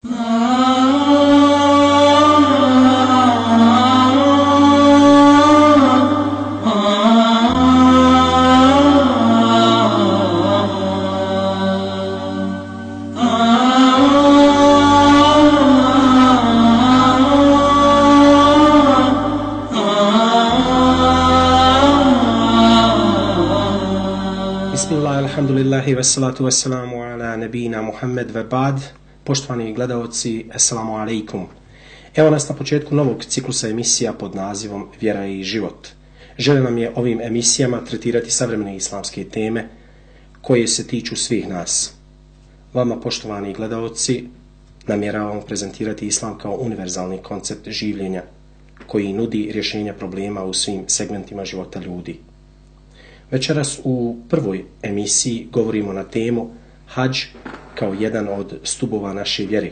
Alhamdulillahi wassalatu wassalamu ala nabina Muhammed ve ba'd. Poštovani gledaoci, assalamu alaikum. Evo nas na početku novog ciklusa emisija pod nazivom Vjera i život. Želja nam je ovim emisijama tretirati savremene islamske teme koje se tiču svih nas. Vama, poštovani gledaoci, namjeravamo prezentirati islam kao univerzalni koncept življenja koji nudi rješenja problema u svim segmentima života ljudi. Večeras u prvoj emisiji govorimo na temu hadž kao jedan od stubova naše vjere.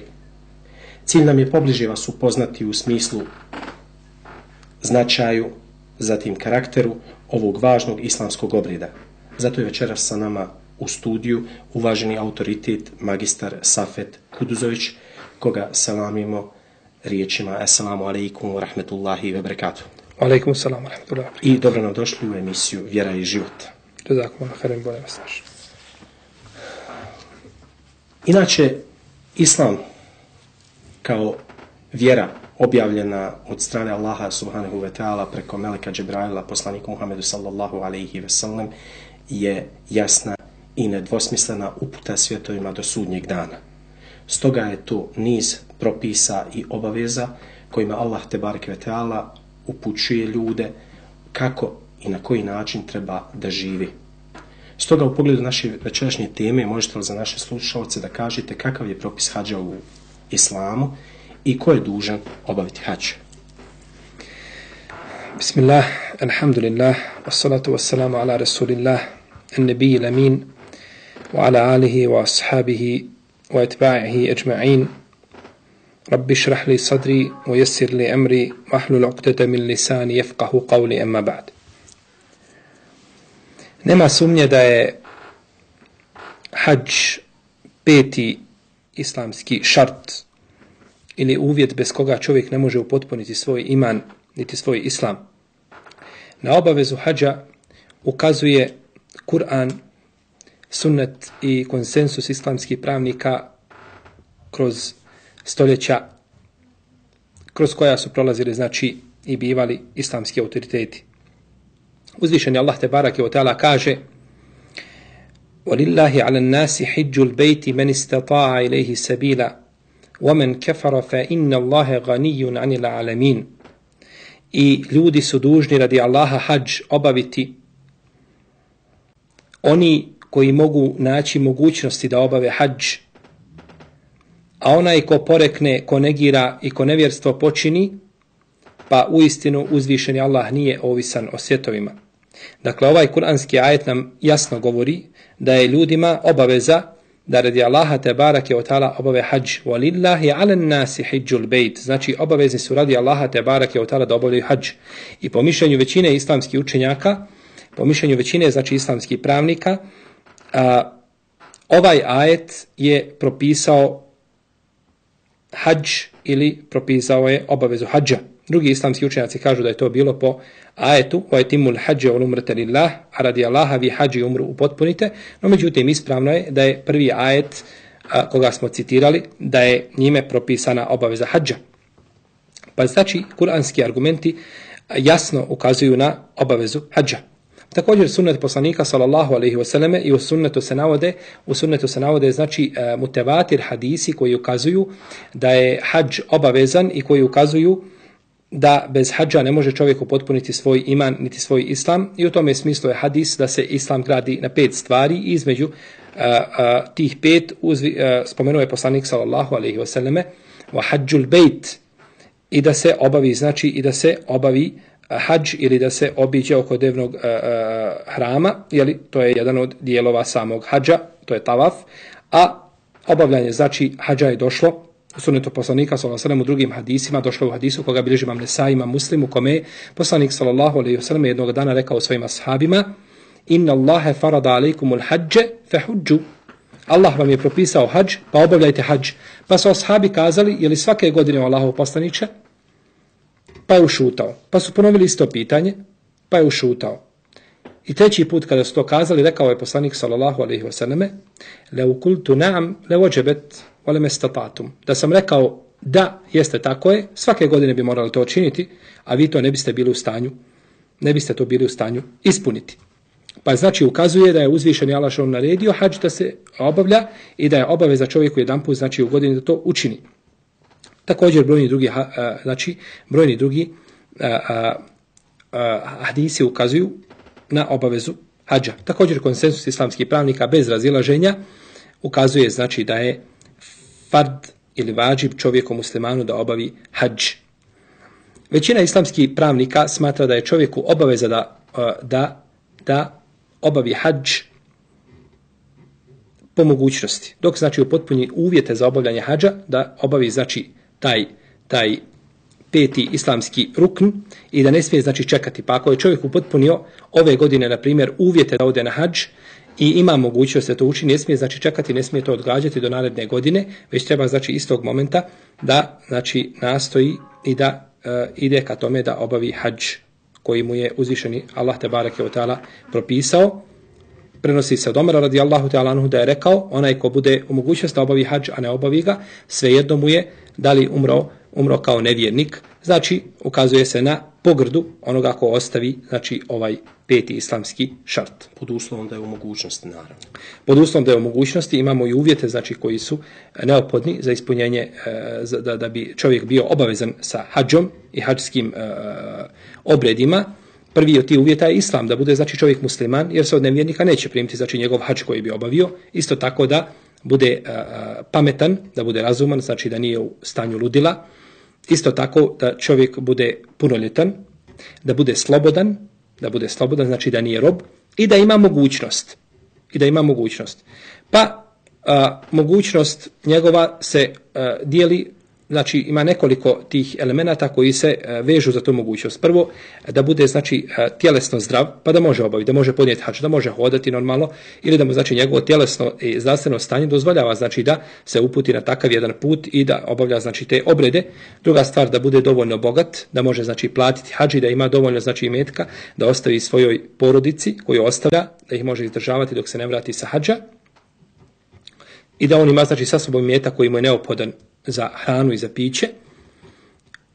Cilj nam je pobliže vas upoznati u smislu značaju, zatim karakteru ovog važnog islamskog obreda. Zato je večeras sa nama u studiju uvaženi autoritet magistar Safet Kuduzović, koga selamimo riječima assalamu alaikum wa rahmetullahi wa barakatuh. Alaikum salam wa rahmatullahi. I dobro nam došli u emisiju Vjera i život. Jazakum khairan, bolje vas našli. Inače, islam kao vjera objavljena od strane Allaha subhanahu wa ta'ala preko meleka Džibraila, poslaniku Muhammedu sallallahu alaihi ve sellem, je jasna i nedvosmislena uputa svjetovima do sudnjeg dana. Stoga je tu niz propisa i obaveza kojima Allah tebareke ve ta'ala upućuje ljude kako i na koji način treba da živi. Stoga u pogledu naše večerašnje teme možete li za naše slušalce da kažete kakav je propis hadža u islamu i ko je dužan obaviti hadž? Bismillah, alhamdulillah, wassalatu wassalamu ala rasulillah, an-nabiyil amin, wa ala alihi wa ashabihi wa etba'ihi ajma'in. Rabbi šrah li sadri, wa yassir li amri, wahlul uqdata min lisani yafqahu qawli, amma ba'd. Nema sumnje da je hadž peti islamski šart ili uvjet bez koga čovjek ne može upotpuniti svoj iman niti svoj islam. Na obavezu hadža ukazuje Kur'an, sunnet i konsensus islamskih pravnika kroz stoljeća kroz koja su prolazili znači i bivali islamski autoriteti. Uzvišeni Allah tebareke ve taala kaže: "Walillahi 'alan nasi hajjul bayti man istata'a ilayhi sabila wa man kafara fa inna Allaha ghaniyyun 'anil 'alamin." I ljudi su dužni radi Allaha hadž obaviti oni koji mogu naći mogućnosti da obave hadž, a onaj ko porekne, ko negira i ko nevjerstvo počini, pa uistinu uzvišeni Allah nije ovisan o svjetovima. Dakle, ovaj kuranski ajet nam jasno govori da je ljudima obaveza da radi Allaha tebareke ve taala obave hadž. Walillahi 'alan nasi hajjul bejt. Znači, obavezni su radi Allaha tebareke ve taala da obavljaju hadž. I po mišljenju većine islamskih učenjaka, po mišljenju većine znači islamskih pravnika, ovaj ajet je propisao hadž ili propisao je obavezu hadža. Drugi islamski učenjaci kažu da je to bilo po ajetu وَيْتِمُّ الْحَجَّ وَالْعُمْرَةَ لِلَّهِ, a radi Allaha vi hadž i umru upotpunite. No međutim, ispravno je da je prvi ajet koga smo citirali, da je njime propisana obaveza hadža. Pa znači, kuranski argumenti jasno ukazuju na obavezu hadža. Također sunnet poslanika sallallahu alejhi ve selleme i u sunnetu se navode znači mutevatir hadisi koji ukazuju da je hadž obavezan i koji ukazuju da bez hadža ne može čovjek upotpuniti svoj iman niti svoj islam, i u tome smislu je hadis da se islam gradi na 5 stvari. Između tih 5 spomenuo je poslanik sallallahu alejhi ve selleme wa hajjul bejt, i da se obavi znači i da se obavi hadž ili da se obiđe oko devnog hrama, jeli, to je jedan od dijelova samog hadža, to je tavaf, a obavljanje znači hadža je došlo u sunnetu poslanika sallallahu alejhi ve sellem u drugim hadisima, došlo u hadisu koga bilježi Imam Nesai, Imam Muslim, u kome je poslanik sallallahu alejhi ve sellem jednog dana rekao svojim ashabima: "Inna Allaha farada alejkumul hadže fahudžu." Allah vam je propisao hadž, pa obavljajte hadž. Pa su ashabi kazali, je li svake godine Allahov poslaniče? Pa je ušutao. Pa su ponovili isto pitanje, pa je ušutao. I treći put kada su to kazali, rekao je poslanik sallallahu alejhi ve selleme: "Lau qultu na'am, lawajbat wa lam istata'tum." Da sam rekao da, jeste tako je, svake godine bi morali to učiniti, a vi to ne biste to bili u stanju ispuniti. Pa znači ukazuje da je uzvišeni Allah što naredio hadž da se obavlja i da je obaveza čovjeku jedanput znači u godini da to učini. Također brojni drugi hadisi ukazuju na obavezu hadža. Također konsensus islamskih pravnika bez razilaženja ukazuje znači da je fard ili vađib čovjeku muslimanu da obavi hadž. Većina islamskih pravnika smatra da je čovjeku obaveza da obavi hadž po mogućnosti. Dok znači upotpuni uvjete za obavljanje hadža, da obavi znači taj peti islamski rukn i da ne smije znači čekati. Pa ako je čovjek upotpunio ove godine, na primjer, uvjete da ode na hadž i ima mogućnost da to učini, ne smije znači čekati, ne smije to odgađati do naredne godine, već treba znači istog momenta da znači nastoji i da ide ka tome da obavi hadž koji mu je uzvišeni Allah te bareke ve taala propisao. Prenosi se od Omara radijallahu ta'ala anhu da je rekao: onaj ko bude u mogućnosti da obavi hadž, a ne obavi ga, svejedno mu je da li umro kao nevjernik. Znači, ukazuje se na pogrdu onoga ko ostavi znači ovaj peti islamski šart. Pod uslovom da je u mogućnosti, naravno. Pod uslovom da je u mogućnosti, imamo i uvjete znači koji su neophodni za ispunjenje, da bi čovjek bio obavezan sa hadžom i hadžskim obredima. Prvi od tih uvjeta je islam, da bude znači čovjek musliman, jer se od nevjernika neće primiti znači njegov hadž koji bi obavio. Isto tako da bude pametan, da bude razuman, znači da nije u stanju ludila. Isto tako da čovjek bude punoljetan, da bude slobodan, znači da nije rob i da ima mogućnost. Pa mogućnost njegova se dijeli, znači ima nekoliko tih elemenata koji se vežu za tu mogućnost. Prvo, da bude znači tjelesno zdrav, pa da može obaviti, da može podnijeti hadž, da može hodati normalno, ili da mu znači njegovo tjelesno i zdravstveno stanje dozvoljava znači da se uputi na takav jedan put i da obavlja znači te obrede. Druga stvar, da bude dovoljno bogat, da može znači platiti hadž i da ima dovoljno znači imetka da ostavi svojoj porodici koju ostavlja, da ih može izdržavati dok se ne vrati sa hadža. I da on ima znači sa sobom imetak koji mu je neophodan za hranu i za piće.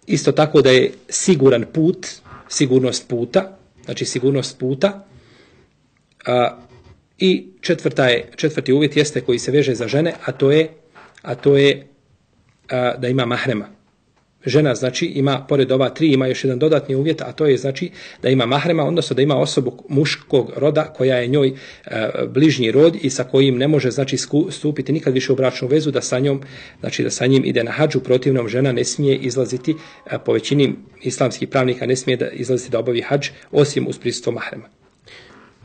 Isto tako da je siguran put, sigurnost puta. I četvrti uvjet jeste koji se veže za žene, a to je da ima mahrema. Žena znači ima, pored ova tri, ima još jedan dodatni uvjet, a to je znači da ima mahrema, odnosno da ima osobu muškog roda koja je njoj bližnji rod i sa kojim ne može znači stupiti nikad više u bračnu vezu, da sa njim ide na hadžu. Protivnom žena ne smije izlaziti, po većini islamskih pravnika ne smije da izlaziti da obavi hadž osim uz prisustvo mahrema.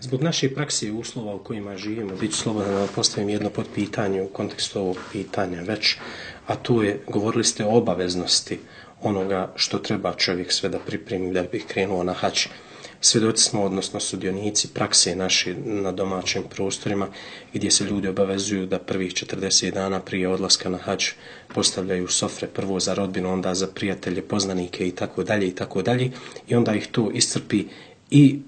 Zbog naše prakse i uslova u kojima živimo, bit ću slobodan da postavim jedno podpitanje u kontekstu ovog pitanja već, a to je, govorili ste o obaveznosti onoga što treba čovjek sve da pripremi da bi krenuo na hadž. Svjedoci smo, odnosno sudionici prakse naše na domaćim prostorima, gdje se ljudi obavezuju da prvih 40 dana prije odlaska na hadž postavljaju sofre, prvo za rodbinu, onda za prijatelje, poznanike i tako dalje, i onda ih to iscrpi i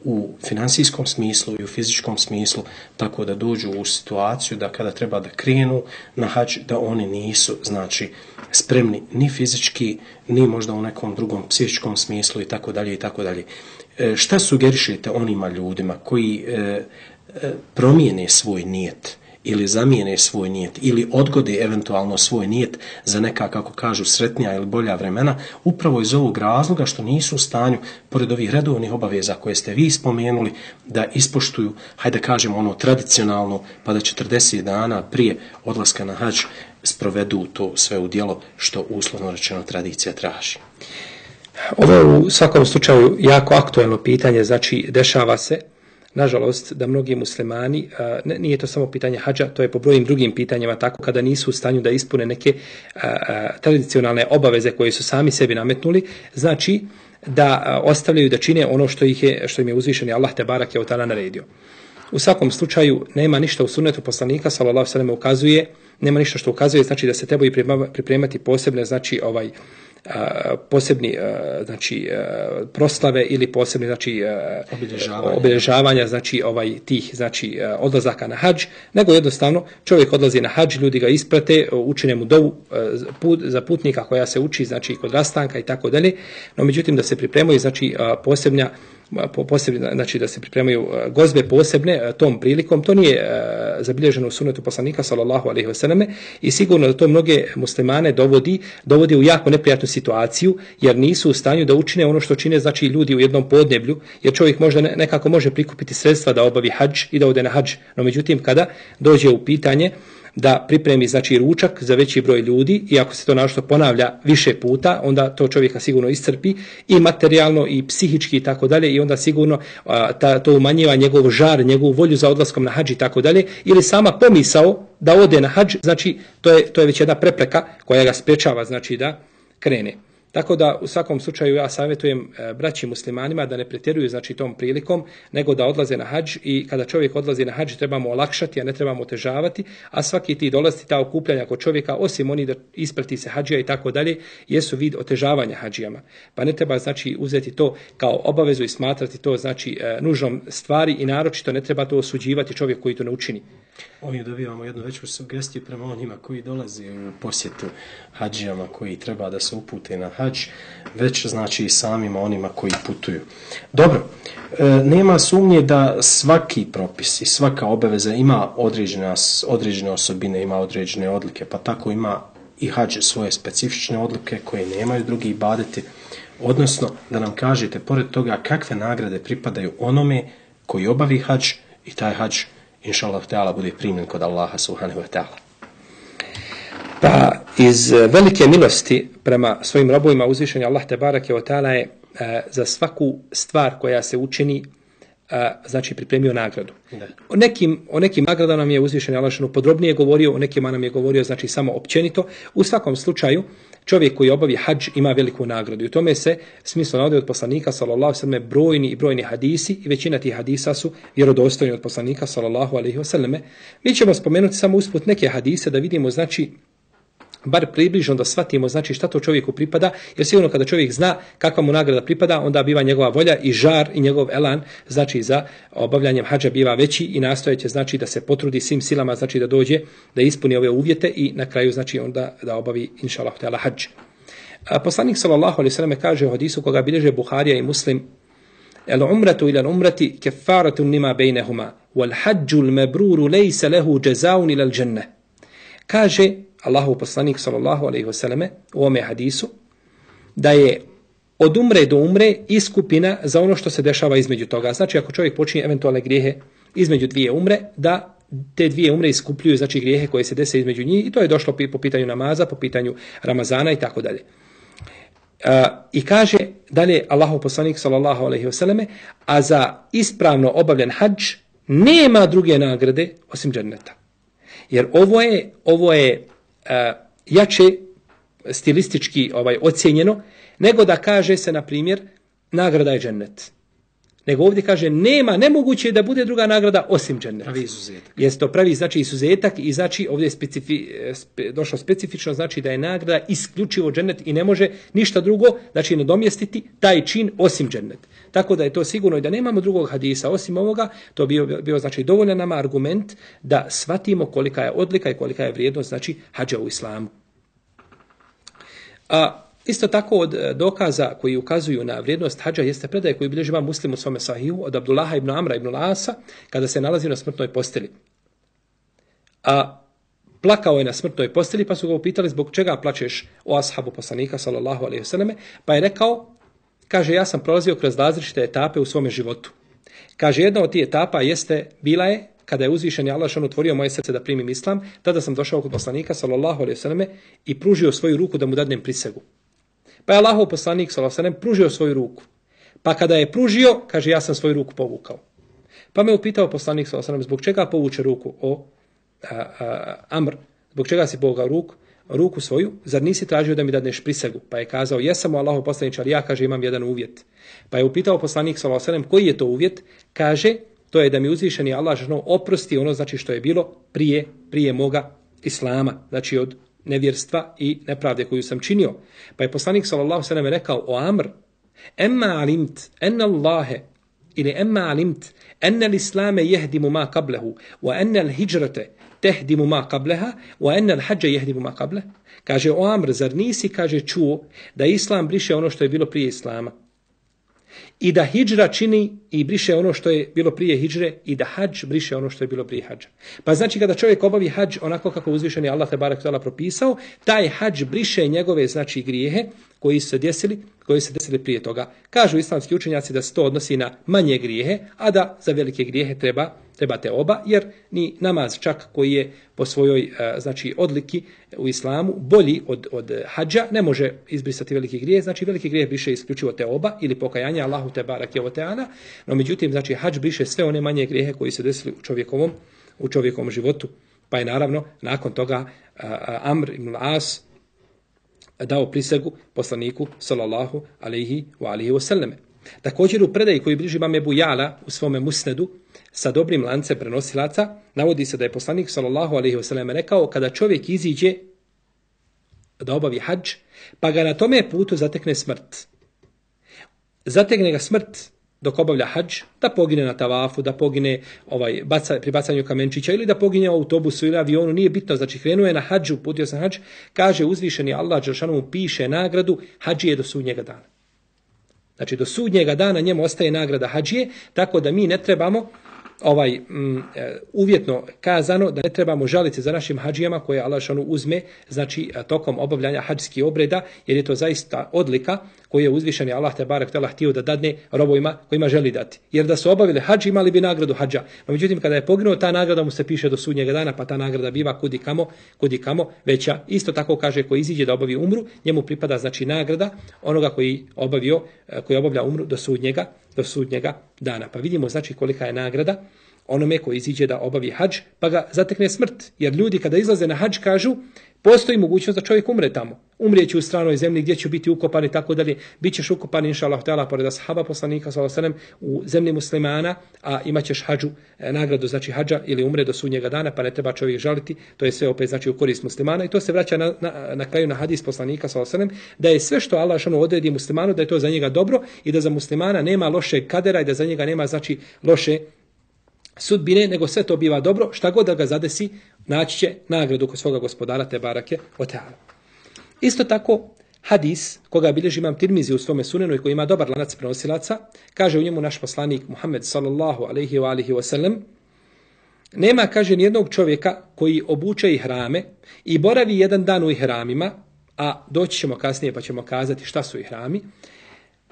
u financijskom smislu i u fizičkom smislu, tako da dođu u situaciju da kada treba da krenu na hadž, da oni nisu znači spremni ni fizički, ni možda u nekom drugom psihičkom smislu i tako dalje. Šta sugerišete onima ljudima koji promijene svoj nijet ili zamijene svoj nijet ili odgode eventualno svoj nijet za neka, kako kažu, sretnija ili bolja vremena, upravo iz ovog razloga što nisu u stanju, pored ovih redovnih obaveza koje ste vi spomenuli, da ispoštuju, hajde kažemo ono tradicionalno, pa da 40 dana prije odlaska na hadž sprovedu to sve u djelo što uslovno rečeno tradicija traži. Ovo je u svakom slučaju jako aktuelno pitanje, znači dešava se nažalost da mnogi muslimani, nije to samo pitanje hadža, to je po brojnim drugim pitanjima tako, kada nisu u stanju da ispune neke tradicionalne obaveze koje su sami sebi nametnuli, znači da ostavljaju da čine ono što im je uzvišeni Allah te barake ve taala naredio. U svakom slučaju nema ništa u sunnetu poslanika sallallahu alejhi ve sellem ukazuje, nema ništa što ukazuje znači da se trebaju pripremati posebne znači posebni znači proslave ili posebni znači obilježavanja znači tih znači odlazaka na hadž, nego jednostavno čovjek odlazi na hadž, ljudi ga isprate, učine mu dovu za putnika koja se uči znači kod rastanka i tako dalje, no međutim da se pripremaju znači posebne, znači da se pripremaju gozbe posebne tom prilikom, to nije zabilježeno u sunnetu poslanika sallallahu alejhi ve selleme i sigurno da to mnoge muslimane dovodi u jako neprijatnu situaciju, jer nisu u stanju da učine ono što čine znači ljudi u jednom podneblju, jer čovjek možda nekako može prikupiti sredstva da obavi hadž i da ode na hadž, no međutim kada dođe u pitanje da pripremi znači ručak za veći broj ljudi i ako se to našto ponavlja više puta, onda to čovjeka sigurno iscrpi i materijalno i psihički i tako dalje i onda sigurno to umanjiva njegov žar, njegovu volju za odlaskom na hadž i tako dalje, ili sama pomisao da ode na hadž, znači to je već jedna prepreka koja ga sprečava znači da krene. Tako da u svakom slučaju ja savjetujem braći muslimanima da ne pretjeruju znači tom prilikom, nego da odlaze na hadž i kada čovjek odlazi na hadž trebamo olakšati, a ne trebamo otežavati, a svaki ti dolasti, ta okupljanja kod čovjeka, osim oni da isprati se hadžija i tako dalje, jesu vid otežavanja hadžijama. Pa ne treba znači uzeti to kao obavezu i smatrati to znači nužnom stvari i naročito ne treba to osuđivati čovjek koji to ne učini. Ovdje dobivamo jednu veću sugestiju prema onima koji dolaze u posjetu hadžijama koji treba da se upute na hadž, već znači i samima onima koji putuju. Dobro, nema sumnje da svaki propis i svaka obaveza ima određene osobine, ima određene odlike, pa tako ima i hadž svoje specifične odlike koje nemaju drugi ibadeti, odnosno da nam kažete pored toga kakve nagrade pripadaju onome koji obavi hadž i taj hadž inšallah ta'ala bude primljen kod Allaha subhanahu wa ta'ala. Pa iz velike milosti prema svojim robovima uzvišenja Allah tebareke ve ta'ala je za svaku stvar koja se učini znači pripremio nagradu. O nekim nagradama nam je uzvišeni Allah podrobnije govorio, o nekima nam je govorio znači samo općenito. U svakom slučaju čovjek koji obavi hadž ima veliku nagradu. I u tome se smislo navodi od poslanika sallallahu alejhi ve selleme brojni hadisi i većina tih hadisa su vjerodostojni od poslanika sallallahu alejhi ve selleme. Mi ćemo spomenuti samo usput neke hadise da vidimo znači bar približno da shvatimo znači šta to čovjeku pripada, jer sigurno kada čovjek zna kakva mu nagrada pripada, onda biva njegova volja i žar i njegov elan znači za obavljanjem hadža biva veći i nastojeće znači da se potrudi svim silama znači da dođe, da ispuni ove uvjete i na kraju znači onda da obavi inšallah ta'ala hadž. Poslanik sallallahu alejhi ve selleme kaže u hadisu koga bilježe Buharija i Muslim: "El umratu ila al-umrati kaffaratun lima bainahuma wal hajjul mabrur laysa lahu jazaa'un ila al-jannah." Kaže Allahov poslanik sallallahu alejhi ve selleme u ome hadisu da je od umre do umre iskupina za ono što se dešava između toga. Znači ako čovjek počinje eventualne grijehe između dvije umre, da te dvije umre iskupljuju znači grijehe koje se dese između njih i to je došlo po pitanju namaza, po pitanju Ramazana i tako dalje. I kaže dalje Allahov poslanik sallallahu alejhi ve selleme: "A za ispravno obavljen hadž nema druge nagrade osim dženneta." Jer ovo je jače stilistički ocijenjeno nego da kaže se na primjer nagrada je džennet. Nego ovdje kaže nemoguće da bude druga nagrada osim dženneta. Pravi izuzetak. Jeste to pravi znači izuzetak i znači ovdje je došlo specifično znači da je nagrada isključivo džennet i ne može ništa drugo znači nadomjestiti taj čin osim džennet. Tako da je to sigurno i da nemamo drugog hadisa osim ovoga, to bio znači dovoljan nama argument da shvatimo kolika je odlika i kolika je vrijednost znači hadža u islamu. Isto tako od dokaza koji ukazuju na vrijednost hadža jeste predaj koji bilježi Imam Muslim u svome sahihu od Abdullaha ibn Amra ibn Asa kada se nalazio na smrtnoj posteli. Plakao je na smrtnoj posteli pa su ga upitali zbog čega plačeš o ashabu poslanika sallallahu alejhi ve selleme, pa je rekao, kaže ja sam prolazio kroz različite etape u svome životu. Kaže jedna od tih etapa bila je kada je uzvišeni Allah otvorio moje srce da primim islam, tada sam došao kod poslanika sallallahu alejhi ve selleme i pružio svoju ruku da mu dadnem prisegu. Pa je Allahov poslanik sallallahu alejhi ve sellem pružio svoju ruku. Pa kada je pružio, kaže ja sam svoju ruku povukao. Pa me upitao poslanik sallallahu alejhi ve sellem zbog čega povuče ruku Amr, zbog čega si povukao ruku svoju, zar nisi tražio da mi dadneš prisegu? Pa je kazao jesam Allahov poslaniče, ali ja kaže imam jedan uvjet. Pa je upitao poslanik sallallahu alejhi ve sellem koji je to uvjet? Kaže to je da mi uzvišeni Allah oprosti ono znači što je bilo prije moga islama, znači od nevjerstva i nepravde koju sam činio. Pa je poslanik sallallahu alejhi ve sellem rekao o Amr: "Emma alimt anna Allahe ili emma alimt anna al-islame yahdimu ma qablahu wa anna al-hijrata tehdimu ma qablaha wa anna al-hajja yahdimu ma qablahu." Kaže o Amr, zar nisi, kaže, čuo da islam briše ono što je bilo prije islama i da hidžra čini i briše ono što je bilo prije hidžre i da hadž briše ono što je bilo prije hadža. Pa znači kada čovjek obavi hadž onako kako uzvišeni Allah te barek tala propisao, taj hadž briše njegove znači grijehe koji su se desili prije toga. Kažu islamski učenjaci da se to odnosi na manje grijehe, a da za velike grijehe trebate oba, jer ni namaz čak koji je po svojoj znači odliki u islamu bolji od hadža ne može izbrisati veliki grijeh, znači veliki grijeh briše isključivo te oba ili pokajanje Allahu te barek je teana, no međutim znači hadž briše sve one manje grijehe koji se desili u čovjekovom životu. Pa je naravno nakon toga Amr ibn al-As dao prisegu poslaniku sallallahu alejhi ve selleme. Također u predaji koju bliži imam Ebu Jala u svome musnedu sa dobrim lancem prenosilaca navodi se da je poslanik sallallahu alejhi ve selleme rekao: kada čovjek iziđe da obavi hadž, pa ga na tome putu zatekne smrt. Zatekne ga smrt dok obavlja hadž, da pogine na tavafu, da pogine pri bacanju kamenčića ili da pogine u autobusu ili avionu, nije bitno, znači krenuo je na hadžu, uputio se na hadž, kaže uzvišeni Allah dželešanu mu piše nagradu hadžije do sudnjega dana. Znači do sudnjega dana njemu ostaje nagrada hadžije, tako da mi ne trebamo uvjetno kazano da ne trebamo žaliti za našim hadžijama koje Allah uzme znači tokom obavljanja hadžskih obreda, jer je to zaista odlika koju je uzvišeni Allah te barek tela htio da dadne robovima kojima želi dati. Jer da su obavili hadž imali bi nagradu hadža. No međutim kada je poginuo, ta nagrada mu se piše do sudnjega dana, pa ta nagrada biva kudikamo veća. Isto tako kaže ko iziđe da obavi umru, njemu pripada znači nagrada onoga koji obavlja umru do sudnjega dana. Pa vidimo znači kolika je nagrada onome koji iziđe da obavi hadž pa ga zatekne smrt. Jer ljudi kada izlaze na hadž kažu postoji mogućnost da čovjek umre tamo. Umrijeće u stranoj zemlji gdje će biti ukopan i tako dalje. Bićeš ukopan inšallah ta'ala pored ashaba poslanika sallallahu alejhi ve sellem u zemlji muslimana, a imaćeš hadžu, nagradu znači hadža ili umre do sudnjega dana, pa ne treba čovjek žaliti. To je sve opet znači u korist muslimana i to se vraća na kraju na hadis poslanika sallallahu alejhi ve sellem da je sve što Allah odredi muslimanu da je to za njega dobro i da za muslimana nema lošeg kadera i da za njega nema znači loše sudbine, nego sve to biva dobro, šta god da ga zadesi, naći će nagradu kod svoga gospodara te barake o teala. Isto tako, hadis koga bilježi imam Tirmizi u svome sunenu i koji ima dobar lanac prenosilaca, kaže u njemu naš poslanik Muhammed sallallahu alejhi ve sellem: nema, kaže, nijednog čovjeka koji obuče ihrame i boravi jedan dan u ihramima, a doći ćemo kasnije pa ćemo kazati šta su ihrami,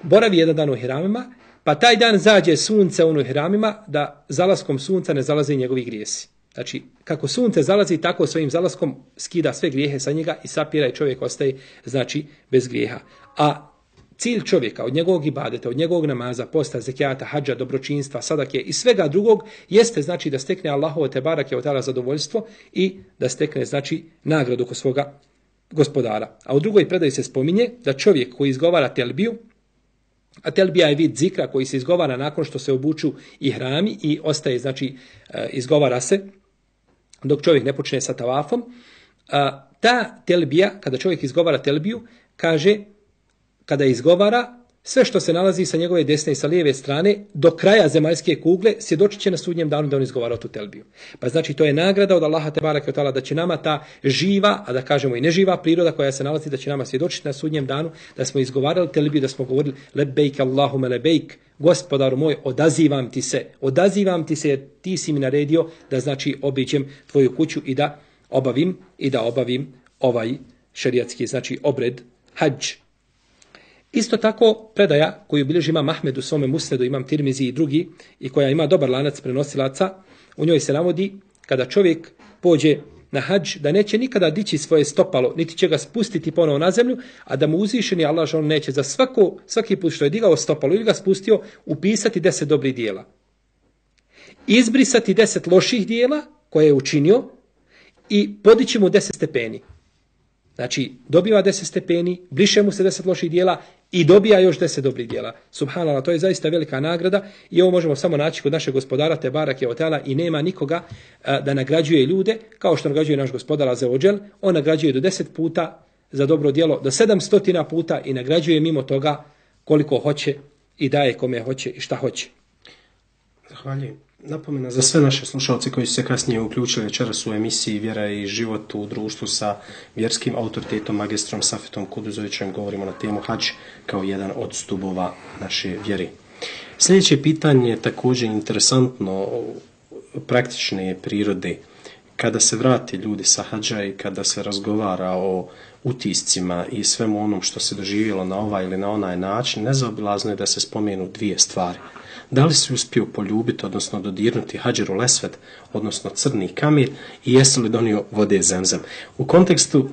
boravi jedan dan u ihramima, pa taj dan zađe sunce u ihramima, da zalaskom sunca ne zalaze njegovi grijesi. Znači, kako sunce zalazi, tako svojim zalaskom skida sve grijehe sa njega i sapira i čovjek ostaje, znači, bez grijeha. A cilj čovjeka od njegovog ibadeta, od njegovog namaza, posta, zekijata, hadža, dobročinstva, sadake i svega drugog jeste znači da stekne Allahovo te barake od ta'ala zadovoljstvo i da stekne znači nagradu kod svoga gospodara. A u drugoj predaji se spominje da čovjek koji izgovara telbiju, a telbija je vid zikra koji se izgovara nakon što se obuču ihrami i ostaje, znači, izgovara se dok čovjek ne počne sa tavafom. Ta telbija, kada čovjek izgovara telbiju, kaže, kada izgovara, sve što se nalazi sa njegove desne i sa lijeve strane, do kraja zemaljske kugle, svjedočit će na sudnjem danu da on izgovara tu telbiju. Pa znači, to je nagrada od Allaha te bareke ve taala da će nama ta živa, a da kažemo i neživa priroda koja se nalazi, da će nama svjedočiti na sudnjem danu da smo izgovarali telbiju, da smo govorili lebejk Allahume lebejk, gospodaru moj, odazivam ti se jer ti si mi naredio da znači obiđem tvoju kuću i da obavim ovaj šerijatski znači obred hadž. Isto tako predaja koju bilježi imam Ahmed u svome musnedu, imam Tirmizi i drugi, i koja ima dobar lanac prenosilaca, u njoj se navodi kada čovjek pođe na hadž da neće nikada dići svoje stopalo, niti će ga spustiti ponovo na zemlju, a da mu uzvišeni Allah on neće za svaki put što je digao stopalo ili ga spustio upisati 10 dobrih dijela. Izbrisati 10 loših dijela koje je učinio i podići mu 10 stepeni. Znači, dobiva 10 stepeni, briše mu se 10 loših dijela i dobija još 10 dobrih djela. Subhanallah, to je zaista velika nagrada i ovo možemo samo naći kod našeg gospodara te barake ve taala i nema nikoga da nagrađuje ljude kao što nagrađuje naš gospodar azza wa džel. On nagrađuje do 10 puta za dobro djelo, do 700 puta i nagrađuje mimo toga koliko hoće i daje kome hoće i šta hoće. Zahvaljujem. Napomena za sve naše slušalce koji su se kasnije uključili večeras u emisiji Vjera i život u društvu sa vjerskim autoritetom, magistrom Safetom Kuduzovićem. Govorimo na temu hadž kao jedan od stubova naše vjere. Sljedeće pitanje je također interesantno, praktične prirode. Kada se vrati ljudi sa hadža i kada se razgovara o utiscima i svemu onom što se doživjelo na ovaj ili na onaj način, nezaobilazno je da se spomenu dvije stvari. Da li si uspio poljubiti, odnosno dodirnuti Hadžerul Esved, odnosno crni kamen, i jesi li donio vode Zemzem? U kontekstu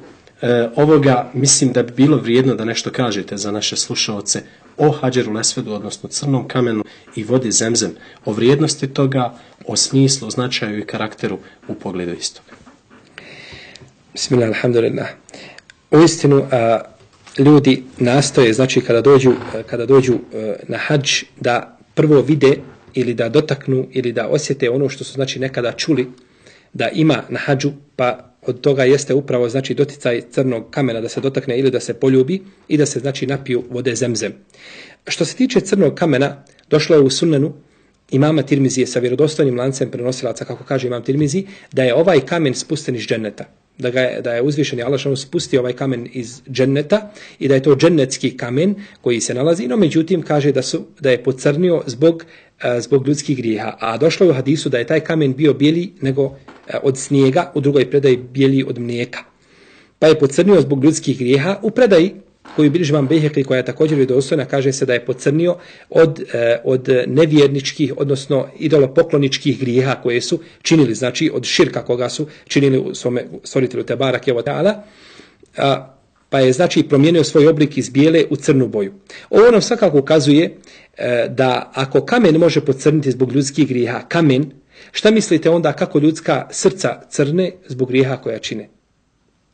ovoga mislim da bi bilo vrijedno da nešto kažete za naše slušalce o Hadžerul Esvedu, odnosno crnom kamenu i vodi Zemzem, o vrijednosti toga, o smislu, značaju i karakteru u pogledu istoga. Bismillah, alhamdulillah. Uistinu, ljudi nastoje, znači kada dođu na hadž, da prvo vide ili da dotaknu ili da osjete ono što su znači nekada čuli da ima na hadžu, pa od toga jeste upravo znači doticaj crnog kamena, da se dotakne ili da se poljubi i da se znači napiju vode Zemzem. Što se tiče crnog kamena, došlo je u Sunanu imama Tirmizije sa vjerodostojnim lancem prenosilaca, kako kaže imam Tirmizi, da je ovaj kamen spušten iz dženneta. Da je uzvišeni Allah spustio ovaj kamen iz dženneta i da je to džennetski kamen koji se nalazi, no međutim kaže da je pocrnio zbog ljudskih grijeha. A došlo je u hadisu da je taj kamen bio bijeli nego od snijega, u drugoj predaji bijeli od mlijeka. Pa je pocrnio zbog ljudskih grijeha. U predaji koju bilježi imam Bejheki, koja je također vjerodostojna, kaže se da je pocrnio od nevjerničkih, odnosno idolopokloničkih grijeha koje su činili, znači od širka koga su činili u svome stvoritelju te barake ve taala, pa je znači promijenio svoj oblik iz bijele u crnu boju. Ovo nam svakako ukazuje da ako kamen može pocrniti zbog ljudskih grijeha, kamen, šta mislite onda kako ljudska srca crne zbog grijeha koja čine?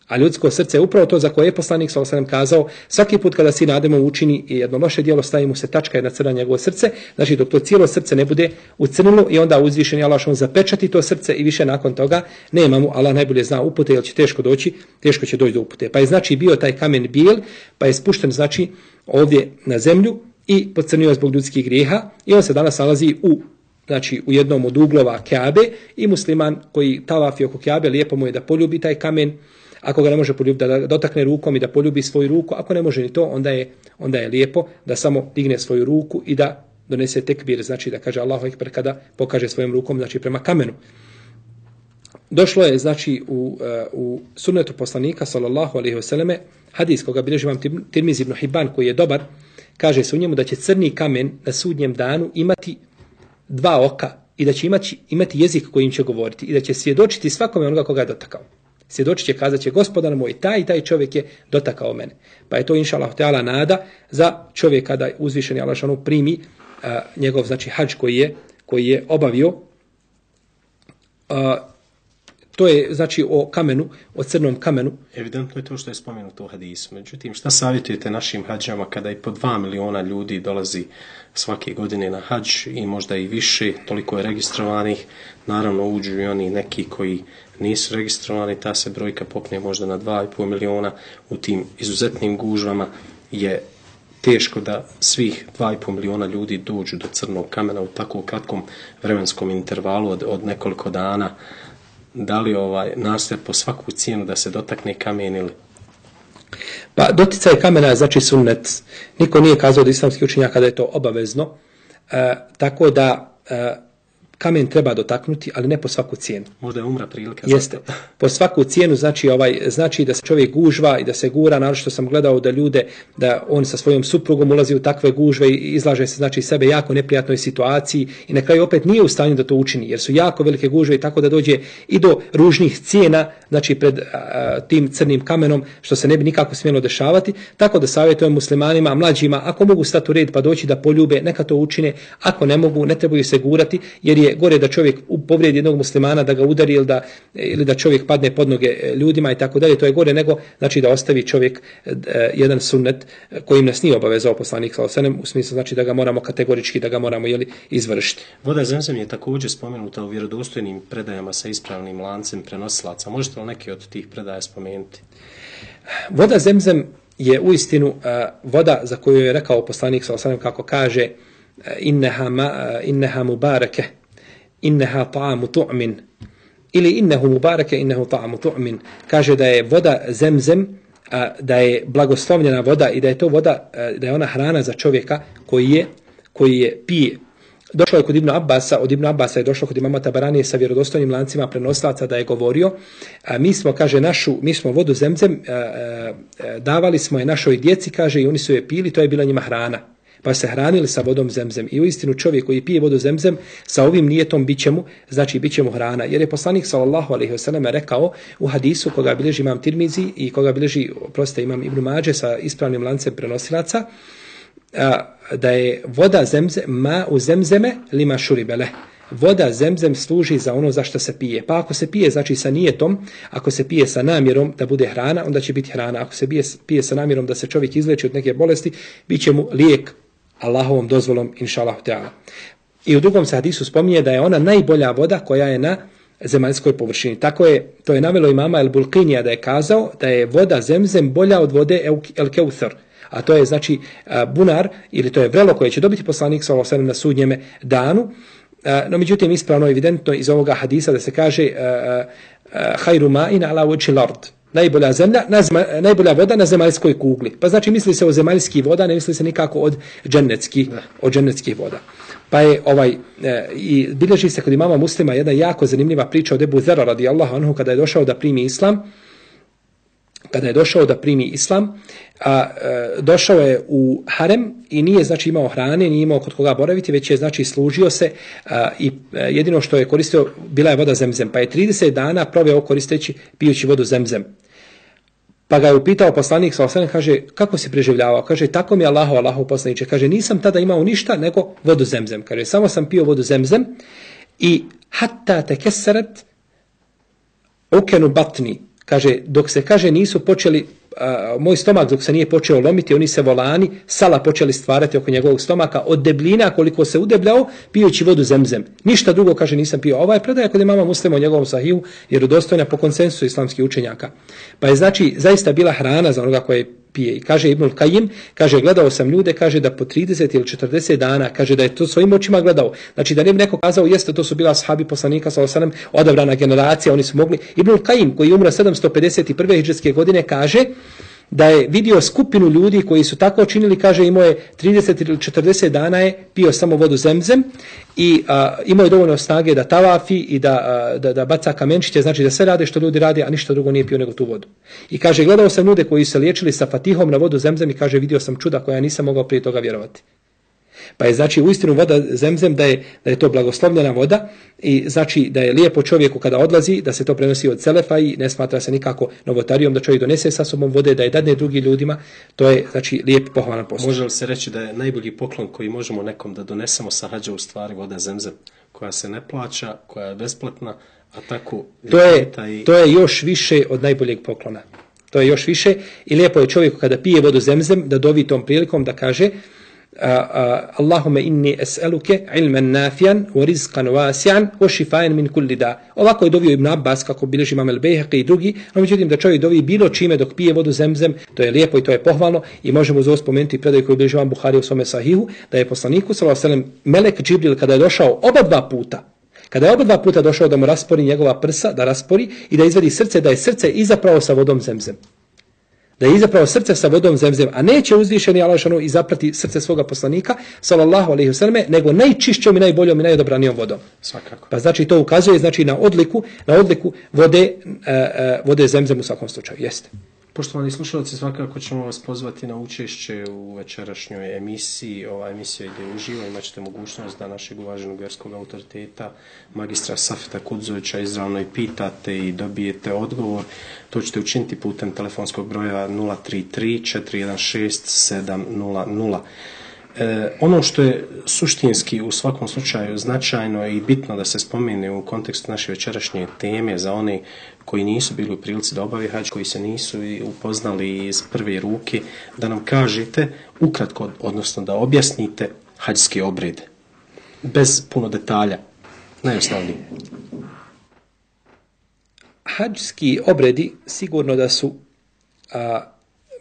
A ljudsko srce je upravo to za koje je poslanik sallallahu alejhi ve sellem kazao, svaki put kada sin Ademov učini jedno loše djelo, stavi mu se tačka jedna crna njegovo srce, znači dok to cijelo srce ne bude ucrnilo i onda uzvišeni Allah zapečati to srce i više nakon toga nema mu, Allah najbolje zna upute, jer će teško će doći do upute. Pa je znači bio taj kamen bijel, pa je spušten znači ovdje na zemlju i pocrnio zbog ljudskih grijeha i on se danas nalazi u jednom od uglova Kjabe i musliman koji tavafi oko Kjabe, lijepo mu je da poljubi taj kamen. Ako ga ne može poljubiti, da dotakne rukom i da poljubi svoju ruku. Ako ne može ni to, onda je lijepo da samo digne svoju ruku i da donese tekbir, znači da kaže Allahu ekber kada pokaže svojom rukom, znači prema kamenu. Došlo je znači u sunnetu poslanika sallallahu alejhi ve selleme hadis koga bilježi imam Tirmizi ibn Hibban koji je dobar, kaže se u njemu da će crni kamen na sudnjem danu imati dva oka i da će imati jezik kojim će govoriti i da će svjedočiti svakome onoga koga je dotakao. Svjedočit će, kazat će, gospodar moj, taj i taj čovjek je dotakao mene. Pa je to inša Allah teala nada za čovjeka da uzvišeni Allah primi njegov znači hadž koji je obavio. To je znači o kamenu, o crnom kamenu. Evidentno je to što je spomenuto u hadisu. Međutim, šta savjetujete našim hađama kada i po 2 miliona ljudi dolazi svake godine na hadž i možda i više, toliko je registrovanih, naravno uđu i oni neki koji nisu registrovani, ta se brojka popne možda na 2,5 miliona. U tim izuzetnim gužvama je teško da svih 2,5 miliona ljudi dođu do crnog kamena u tako kratkom vremenskom intervalu od nekoliko dana. Da li nastoje po svaku cijenu da se dotakne kamen ili? Pa doticaj kamena je znači sunnet. Niko nije kazao od islamskih učenjaka da je to obavezno. Tako da kamen treba dotaknuti, ali ne po svaku cijenu. Možda je umra prilika. Jeste. Po svaku cijenu znači da se čovjek gužva i da se gura, naravno što sam gledao da on sa svojom suprugom ulazi u takve gužve i izlaže se znači sebe jako neprijatnoj situaciji i na kraju opet nije u stanju da to učini, jer su jako velike gužve i tako da dođe i do ružnih cijena, znači pred tim crnim kamenom, što se ne bi nikako smjelo dešavati. Tako da savjetujem muslimanima, mlađima, ako mogu stati u red pa doći da poljube, neka to učine, ako ne mogu, ne trebaju se gurati, jer je je gore da čovjek povrijedi jednog muslimana, da ga udari ili da čovjek padne pod noge ljudima i tako dalje. To je gore nego znači da ostavi čovjek jedan sunnet kojim nas nije obavezao poslanik sallallahu alejhi ve sellem, u smislu znači da ga moramo kategorički da ga moramo izvršiti. Voda Zemzem je također spomenuta u vjerodostojnim predajama sa ispravnim lancem prenosilaca. Možete li neki od tih predaja spomenuti? Voda Zemzem je uistinu voda za koju je rekao poslanik sallallahu alejhi ve sellem, kako kaže inneha mubarake, inneha ta'amu tu'min, ili innehu mubarake, innehu ta'amu tu'min. Kaže da je voda Zemzem, da je blagoslovljena voda i da je to voda, da je ona hrana za čovjeka koji je pije. Došlo je kod Ibn Abbasa, od Ibn Abbasa je došlo kod imama Tabaranije sa vjerodostojnim lancima prenosilaca da je govorio, mi smo vodu Zemzem davali smo je našoj djeci, kaže, i oni su je pili, to je bila njima hrana. Pa se hranili sa vodom Zemzem. I uistinu čovjek koji pije vodu Zemzem sa ovim nijetom bit će mu hrana. Jer je poslanik sallallahu alejhi ve sellem rekao u hadisu koga bilježi imam Tirmizi i koga bilježi imam Ibn Mađe sa ispravnim lancem prenosilaca, da je voda Zemzem ma u Zemzeme lima šuribele. Voda Zemzem služi za ono za što se pije. Pa ako se pije znači sa nijetom, ako se pije sa namjerom da bude hrana, onda će biti hrana. Ako se pije sa namjerom da se čovjek izleči od neke bolesti, bit će mu lijek Allahovom dozvolom, inšallahu teala. I u drugom se hadisu spominje da je ona najbolja voda koja je na zemaljskoj površini. To je navelo imama El Bulqinija da je kazao da je voda Zemzem bolja od vode El Keuthar. A to je znači bunar, ili to je vrelo koje će dobiti poslanik sallallahu alejhi ve sellem na sudnjeme danu. No međutim ispravno evidentno iz ovoga hadisa da se kaže hajru ma'in ala wajhil ard. Najbolja voda na zemaljskoj kugli. Pa znači misli se o zemaljskih voda, ne misli se nikako od džennetskih voda. Pa je i bilježi se kod imama Muslima jedna jako zanimljiva priča od Ebu Zera radijallahu anhu kada je došao da primi islam. Došao je u harem i nije znači imao hrane, nije imao kod koga boraviti, već je znači služio se i jedino što je koristio bila je voda Zemzem. Pa je 30 dana proveo pijući vodu Zemzem. Pa ga je upitao poslanik sallallahu alejhi ve sellem, kaže, kako si preživljavao? Kaže, tako mi je Allahov poslaniče. Kaže, nisam tada imao ništa nego vodu Zemzem. Kaže, samo sam pio vodu Zemzem i hatta tekesarat ukenu batni. Kaže, dok se nisu počeli, moj stomak dok se nije počeo lomiti, oni se volani, sala počeli stvarati oko njegovog stomaka, od debljina koliko se udebljao, pijući vodu Zemzem. Ništa drugo, kaže, nisam pio. Ova je predaja kod imama Muslima u njegovom sahihu, jer udostojna po konsensusu islamskih učenjaka. Pa je znači zaista bila hrana za onoga koje pije. I kaže Ibnul Kajim, kaže, gledao sam ljude, kaže da po 30 ili 40 dana, kaže da je to svojim očima gledao. Znači da ne bi neko kazao, jeste, to su bila ashabi poslanika sallallahu alejhi ve sellem, odabrana generacija, oni su mogli. Ibnul Kajim, koji je umro 751. hidžretske godine, kaže da je vidio skupinu ljudi koji su tako činili, kaže, imao je 30 ili 40 dana je pio samo vodu Zemzem i imao je dovoljno snage da tavafi i da baca kamenčiće, znači da sve rade što ljudi rade, a ništa drugo nije pio nego tu vodu. I kaže, gledao sam ljude koji se liječili sa fatihom na vodu Zemzem i kaže, vidio sam čuda koja nisam mogao prije toga vjerovati. Pa je znači uistinu voda Zemzem da je to blagoslovljena voda i znači da je lijepo čovjeku kada odlazi, da se to prenosi od selefa i ne smatra se nikako novotarijom da čovjek donese sa sobom vode, da je dadne drugim ljudima, to je znači lijep pohvalan posao. Može li se reći da je najbolji poklon koji možemo nekom da donesemo sa hađa u stvari voda Zemzem, koja se ne plaća, koja je besplatna, a tako... To je još više od najboljeg poklona. To je još više i lijepo je čovjeku kada pije vodu Zemzem da dovi tom prilikom da kaže Allahume inni es'eluke ilman nafijan wa rizqan wasi'an wa shifaan min kulli da. Ovako je dovio Ibn Abbas kako bilježi imam El-Bejhaqi i drugi, no međutim da čovjek dovi bilo čime dok pije vodu Zemzem, to je lijepo i to je pohvalno i možemo uz ovo spomenuti predaj koji bilježi imam Buhari u svome sahihu, da je poslaniku sallallahu alejhi ve sellem melek Džibril kada je došao oba dva puta došao da mu raspori njegova prsa, da raspori i da izvadi srce, da je srce izapravo sa vodom Zemzem. Da je izapravo srce sa vodom Zemzem, a neće uzvišeni Allah dželle izaprati srce svoga poslanika sallallahu alejhi ve selleme, nego najčišćom i najboljom i najodabranijom vodom. Svakako. Pa znači to ukazuje znači na odliku vode Zemzem u svakom slučaju. Jeste. Poštovani slušalci, svakako ćemo vas pozvati na učešće u večerašnjoj emisiji. Ova emisija ide uživo, imat ćete mogućnost da našeg uvaženog vjerskog autoriteta, magistra Safeta Kudzovića, izravno i pitate i dobijete odgovor. To ćete učiniti putem telefonskog broja 033 416 700. Ono što je suštinski u svakom slučaju značajno i bitno da se spomene u kontekstu naše večerašnje teme za one koji nisu bili u prilici da obave hadž, koji se nisu upoznali iz prve ruke, da nam kažete ukratko, odnosno da objasnite hađske obrede. Bez puno detalja. Najosnovniji. Hađski obredi sigurno da su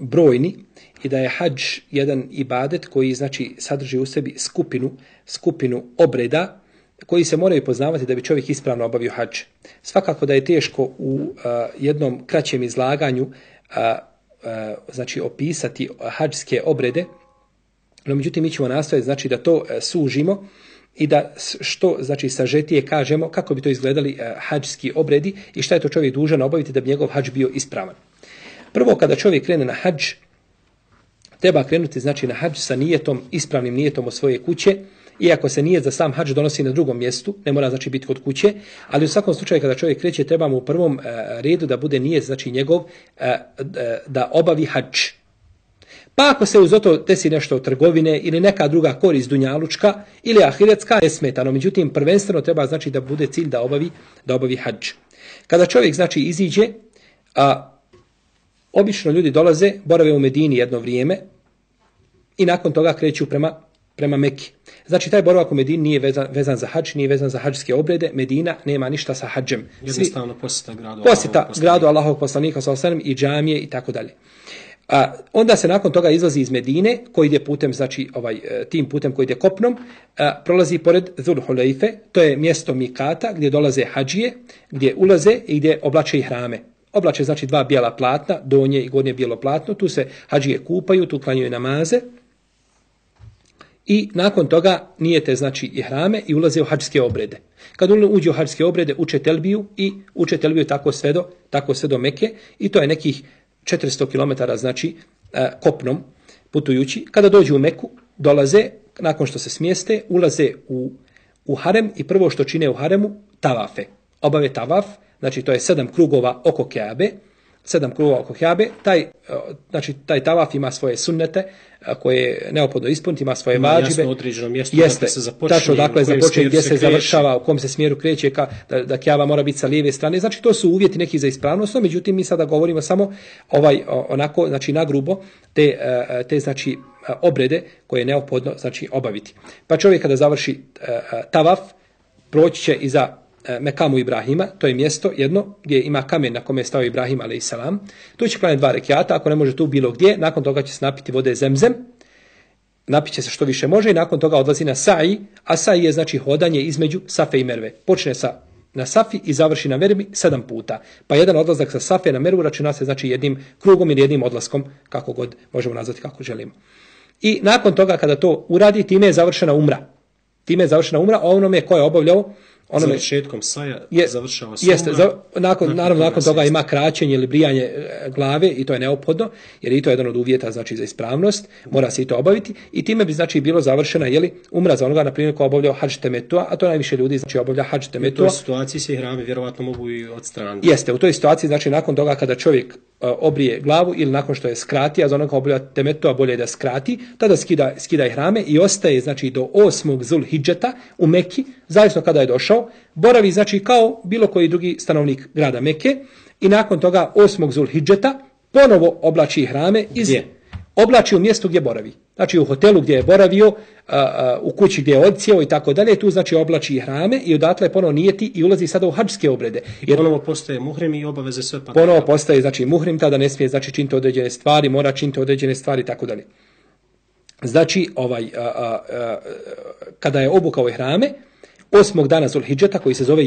brojni i da je hadž jedan ibadet koji znači sadrži u sebi skupinu obreda koji se moraju poznavati da bi čovjek ispravno obavio hadž. Svakako da je teško u jednom kraćem izlaganju znači opisati hađske obrede, no međutim mi ćemo nastojati znači da to sužimo i da što znači sažetije kažemo kako bi to izgledali hađski obredi i šta je to čovjek dužan obaviti da bi njegov hadž bio ispravan. Prvo, kada čovjek krene na hadž, treba krenuti znači na hadž sa nijetom, ispravnim nijetom od svoje kuće, iako se nijet za sam hadž donosi na drugom mjestu, ne mora znači biti kod kuće, ali u svakom slučaju kada čovjek kreće treba mu u prvom redu da bude nijet znači njegov da obavi hadž. Pa ako se uz to desi nešto od trgovine ili neka druga korist dunjalučka ili ahiretska, nesmetano, međutim prvenstveno treba znači da bude cilj da obavi hadž. Kada čovjek znači iziđe, obično ljudi dolaze, borave u Medini jedno vrijeme i nakon toga kreću prema Meki. Znači taj boravak u Medini nije vezan za hadž, nije vezan za hadžske obrede. Medina nema ništa sa hadžem. Jednostavno posjeta gradu Allahovog poslanika sallallahu alejhi ve sellem i džamije i tako dalje. Onda se nakon toga izlazi iz Medine, koji ide putem, znači tim putem koji ide kopnom, prolazi pored Zul Hulejfe, to je mjesto Mikata gdje dolaze hadžije, gdje ulaze i gdje oblače ihrame. Oblače znači dva bijela platna, donje i gornje bijelo platno, tu se hadžije kupaju, tu klanjaju namaze i nakon toga nijete znači ihrame i ulaze u hadžske obrede. Kad uđe u hadžske obrede, uče telbiju tako sve do Meke i to je nekih 400 km znači kopnom putujući. Kada dođu u Meku, dolaze, nakon što se smjeste, ulaze u harem i prvo što čine u haremu, tavafe. Obave tavaf, znači to je 7 krugova oko Keabe. Taj tavaf ima svoje sunnete koje je neophodno ispuniti, ima svoje vađibe. Jasno određeno mjesto jeste, se započne, tačno, dakle, započne gdje se završava, u kom se smjeru kreće, da Keaba mora biti sa lijeve strane. Znači to su uvjeti neki za ispravnost, međutim mi sada govorimo samo onako, znači nagrubo te znači obrede koje je neophodno znači obaviti. Pa čovjek kada završi tavaf, proći će iza Mekamu Ibrahima, to je mjesto jedno gdje ima kamen na kome je stao Ibrahim a.s. Tu će klanjati 2 rekiata, ako ne može tu bilo gdje, nakon toga će se napiti vode zemzem, napiće se što više može i nakon toga odlazi na sa'i, a sa'i je znači hodanje između Safe i Merve. Počne na Safi i završi na Mervi 7 puta. Pa jedan odlazak sa Safe na Mervu računa se znači jednim krugom ili jednim odlaskom, kako god možemo nazvati kako želimo. I nakon toga kada to uradi, time je završena umra. A onome ko je obavljao završetkom saja završava se jeste, nakon toga ima kraćenje ili brijanje glave i to je neophodno, jer i to je jedan od uvjeta znači za ispravnost, mora se i to obaviti i time bi znači bilo završena umra za onoga na primjer ko obavljao hadž temetua, a to najviše ljudi znači obavlja hadž temetua. U toj situaciji se ihrami vjerovatno mogu i odstraniti. Jeste, u toj situaciji znači nakon toga kada čovjek obrije glavu ili nakon što je skrati, a za onoga ko obavlja temetua bolje da skrati, tada skida ihrame i ostaje znači do 8. Zulhidžeta u Meki, zavisno kada je došao, boravi znači kao bilo koji drugi stanovnik grada Mekke i nakon toga 8. Zulhidžeta ponovo oblači ihrame oblači u mjestu gdje boravi. Znači u hotelu gdje je boravio, u kući gdje je odsjeo i tako dalje, tu znači oblači ihrame i odatle ponovo nijeti i ulazi sada u hadžske obrede. Jer ponovo postaje muhrim i obaveze sve pada. Ponovo postaje znači muhrim, tada ne smije znači činiti određene stvari, mora činiti određene stvari i tako dalje. Znači kada je obukao ihrame, 8. dana Zulhidžeta koji se zove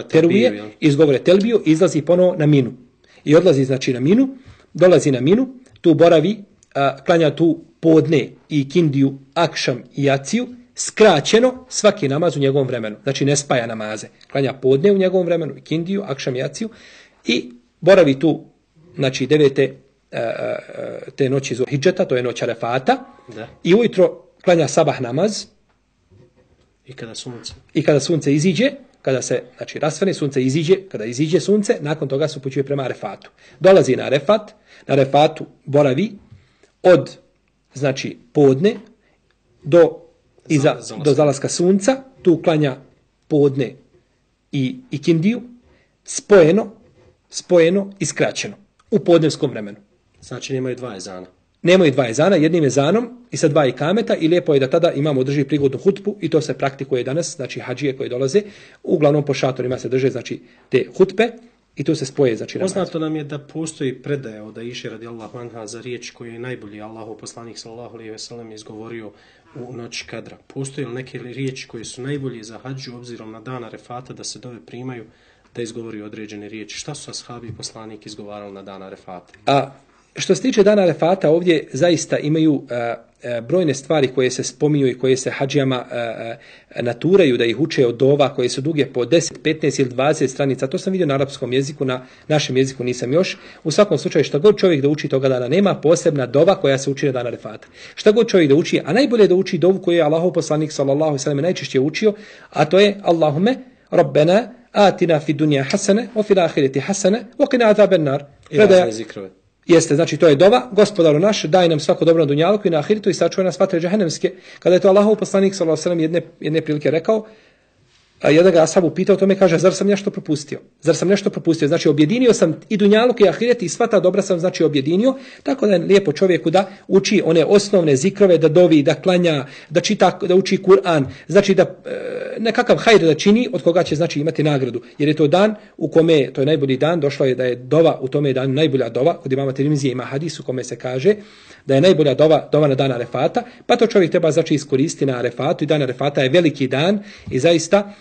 Teruje, izgovore telbiju, izlazi ponovo na Minu. I odlazi znači na Minu, dolazi na Minu, tu boravi, klanja tu podne i kindiju, akšam i jaciju, skraćeno svaki namaz u njegovom vremenu. Znači ne spaja namaze. Klanja podne u njegovom vremenu, kindiju, akšam i jaciju i boravi tu, znači 9. te noći Zulhidžeta, to je noć Arefata, i ujutro klanja sabah namaz, I kada sunce iziđe, kada se znači rasvane, sunce iziđe, kada iziđe sunce, nakon toga se upućuje prema Arefatu. Dolazi na Arefat, na Arefatu boravi od znači podne do zalaska sunca, tu klanja podne i kindiju, spojeno i skraćeno u podnevskom vremenu. Znači nemaju dva ezana. Nemaju dva ezana, jednim ezanom i sa dva ikameta i lijepo je da tada imamo drži prigodnu hutbu i to se praktikuje danas, znači hadžije koji dolaze, uglavnom po šatorima se drže znači te hutbe i tu se spoje znači namaz. Poznato nam je da postoji predaja od Aiše radijallahu anha za riječ koju je najbolji Allahov poslanik sallallahu alejhi ve sellem izgovorio u noć Kadra. Postoji li neke riječi koje su najbolje za hadžu obzirom na dan Arefata da se dove primaju da izgovori određene riječi? Šta su ashabi i poslanik izgovarali na dan Arefata? Što se tiče dana Arefata, ovdje zaista imaju brojne stvari koje se spominju i koje se hadžijama naturaju da ih uče od dova koje su duge po 10, 15 ili 20 stranica. To sam vidio na arapskom jeziku, na našem jeziku nisam još. U svakom slučaju što god čovjek da uči toga dana, nema posebna dova koja se uči na dan Arefata. Šta god čovjek da uči, a najbolje da uči dovu koju je Allahov poslanik sallallahu alejhi ve sellem najčešće učio, a to je Allahumme Rabbena atina fid dunya hasane wa fil ahireti hasane wa qina azaban nar. Jeste, znači to je dova, gospodaru naš, daj nam svako dobro na dunjaluku i na ahiretu i sačuvaj nas vatre džehennemske. Kada je to Allahov poslanik sallallahu alejhi ve sellem jedne prilike rekao, a jedan ga ashabu pitao tome, kaže, zar sam nešto propustio? Znači objedinio sam i dunjaluk i ahiret i sva ta dobra sam znači objedinio, tako da je lijepo čovjeku da uči one osnovne zikrove, da dovi, da klanja, da čita, da uči Kur'an, znači da nekakav hajr da čini od koga će znači imati nagradu. Jer je to dan u kome, to je najbolji dan, došlo je da je dova u tome dan najbolja dova, kod imama Tirmizije ima hadis u kome se kaže da je najbolja dova na dan Arefata, pa to čovjek treba znači iskoristiti na Arefatu i dan Arefata je veliki dan i zaista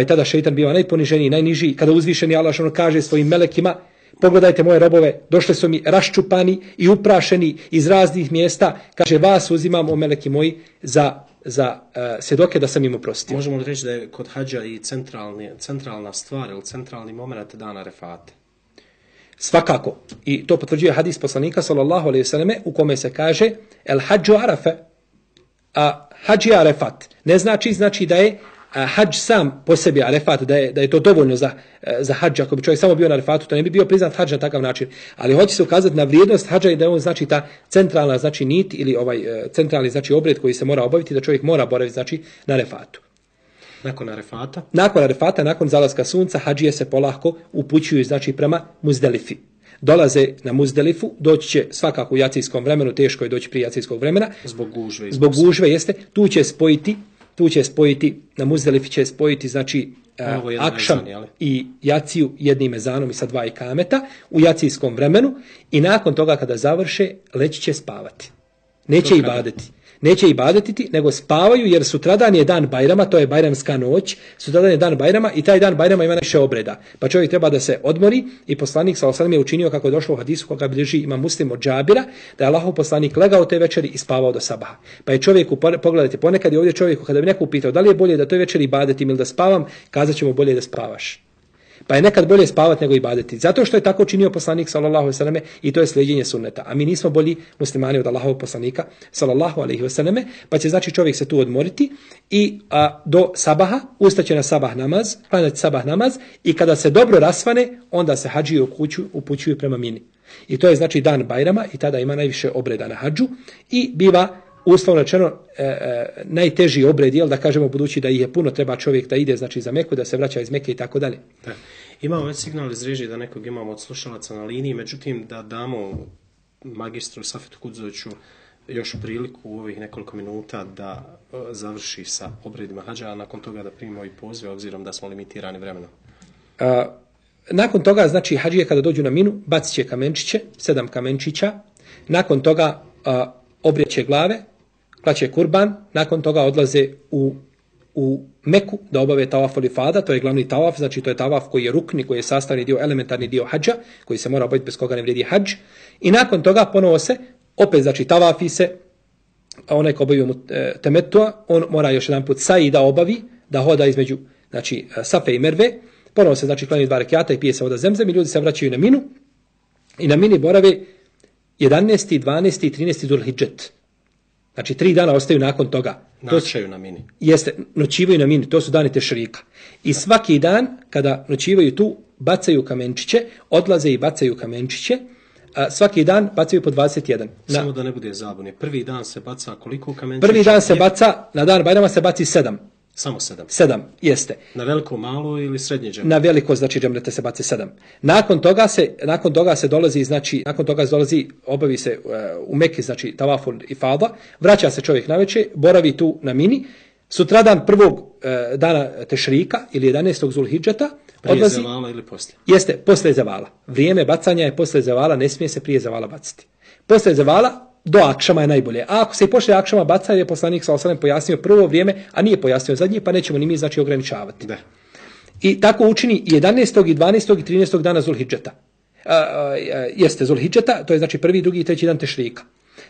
tada šejtan biva najponiženiji, najniži, kada uzvišeni Allah kaže svojim melekima, pogledajte moje robove, došli su mi raščupani i uprašeni iz raznih mjesta, kaže vas uzimam o meleki moji za svjedoke da sam im oprostio. Možemo li reći da je kod hadža i centralna stvar ili centralni moment dana Arefate? Svakako. I to potvrđuje hadis poslanika sallallahu alejhi ve selleme u kome se kaže el hadžu arafe, a hadž je Arefat. Ne znači da je hadž sam po sebi Arefat, da je to dovoljno za hadž. Ako bi čovjek samo bio na Arefatu, to ne bi bio priznat hadž na takav način. Ali hoće se ukazati na vrijednost hadža i da je on znači ta centralna znači nit ili centralni znači obred koji se mora obaviti, da čovjek mora boraviti znači na Arefatu. Nakon Arefata, nakon zalaska sunca, hadžije se polako upućuju znači prema Muzdelifi. Dolaze na Muzdelifu, doći će svakako u jacijskom vremenu, teško je doći prije jacijskog vremena. Zbog gužve jeste, tu će spojiti, na Muzdelifi će spojiti znači akšam i jaciju jednim ezanom i sa dva ikameta u jacijskom vremenu i nakon toga kada završe, leći će spavati. Neće ibadetiti, nego spavaju jer sutradan je dan Bajrama, to je Bajramska noć, sutradan je dan Bajrama i taj dan Bajrama ima više obreda. Pa čovjek treba da se odmori i poslanik sallallahu alejhi ve sellem je učinio kako je došlo u hadisu koga bilježi ima Muslim od Džabira, da je Allahov poslanik legao te večeri i spavao do sabaha. Pa je čovjeku, pogledajte, ponekad je ovdje čovjeku kada bi neko upitao da li je bolje da toj večeri ibadetim ili da spavam, kazat ćemo bolje da spavaš. Pa je nekad bolje spavati nego ibadeti. Zato što je tako činio poslanik sallallahu alejhi ve selleme i to je slijedjenje sunneta. A mi nismo bolji muslimani od Allahovog poslanika sallallahu alejhi ve selleme, pa će znači čovjek se tu odmoriti i do sabaha ustaće na sabah namaz, klanjati sabah namaz i kada se dobro rasvane, onda se hadžije upućuju prema Mini. I to je znači dan Bajrama i tada ima najviše obreda na hadžu i biva uslovno rečeno najteži obred, jel da kažemo budući da ih je puno, treba čovjek da ide znači za Meku, da se vraća iz Meke i tako dalje. Imamo već signal iz režije da nekog imamo od slušalaca na liniji, međutim da damo magistru Safetu Kudzoviću još priliku u ovih nekoliko minuta da završi sa obredima hadža, a nakon toga da primimo i pozive obzirom da smo limitirani vremenom. Nakon toga, znači hadžije kada dođu na Minu, bacit će kamenčiće, 7 kamenčića, nakon toga obrijeće glave, klaće kurban, nakon toga odlaze u Meku da obave tavaf al-ifada, to je glavni tavaf, znači to je tavaf koji je rukni, koji je sastavni dio, elementarni dio hadža, koji se mora obaviti bez koga ne vrijedi hadž. I nakon toga ponovo se, opet znači tavafi se, a onaj ko obavio temetua, on mora još jedan put sa'i da obavi, da hoda između znači Safe i Merve, ponovo se znači klanja 2 rekjata i pije se voda zemzem i ljudi se vraćaju na Minu i na Mini borave 11., 12. i 13. Zulhidžet. Znači 3 dana ostaju nakon toga. Noćaju na Mini. Jeste, noćivaju na Mini, to su dani tešrika. I svaki dan kada noćivaju tu, bacaju kamenčiće, odlaze i bacaju kamenčiće, svaki dan bacaju po 21. Samo da ne bude zabune. Prvi dan se baca koliko kamenčića? Prvi dan se baca, na dan Bajrama se baci 7. Samo 7. 7, jeste. Na veliko, malo ili srednje džemre? Na veliko, znači džemrete se baci 7. Nakon toga se dolazi, znači, obavi se u Meki, znači tavaful ifada, vraća se čovjek navečer, boravi tu na Mini, sutradan prvog dana Tešrika ili 11. Zulhidžeta, prije zavala ili poslije? Jeste, poslije zavala. Vrijeme bacanja je poslije zavala, ne smije se prije zavala baciti. Poslije zavala, do akšama je najbolje. A ako se i poslije akšama baca, je poslanik s.a.v. pojasnio prvo vrijeme, a nije pojasnio zadnje, pa nećemo ni mi znači ograničavati. Da. I tako učini 11. i 12. i 13. dana Zulhidžeta. Jeste Zulhidžeta, to je znači prvi, drugi i treći dan Tešrika.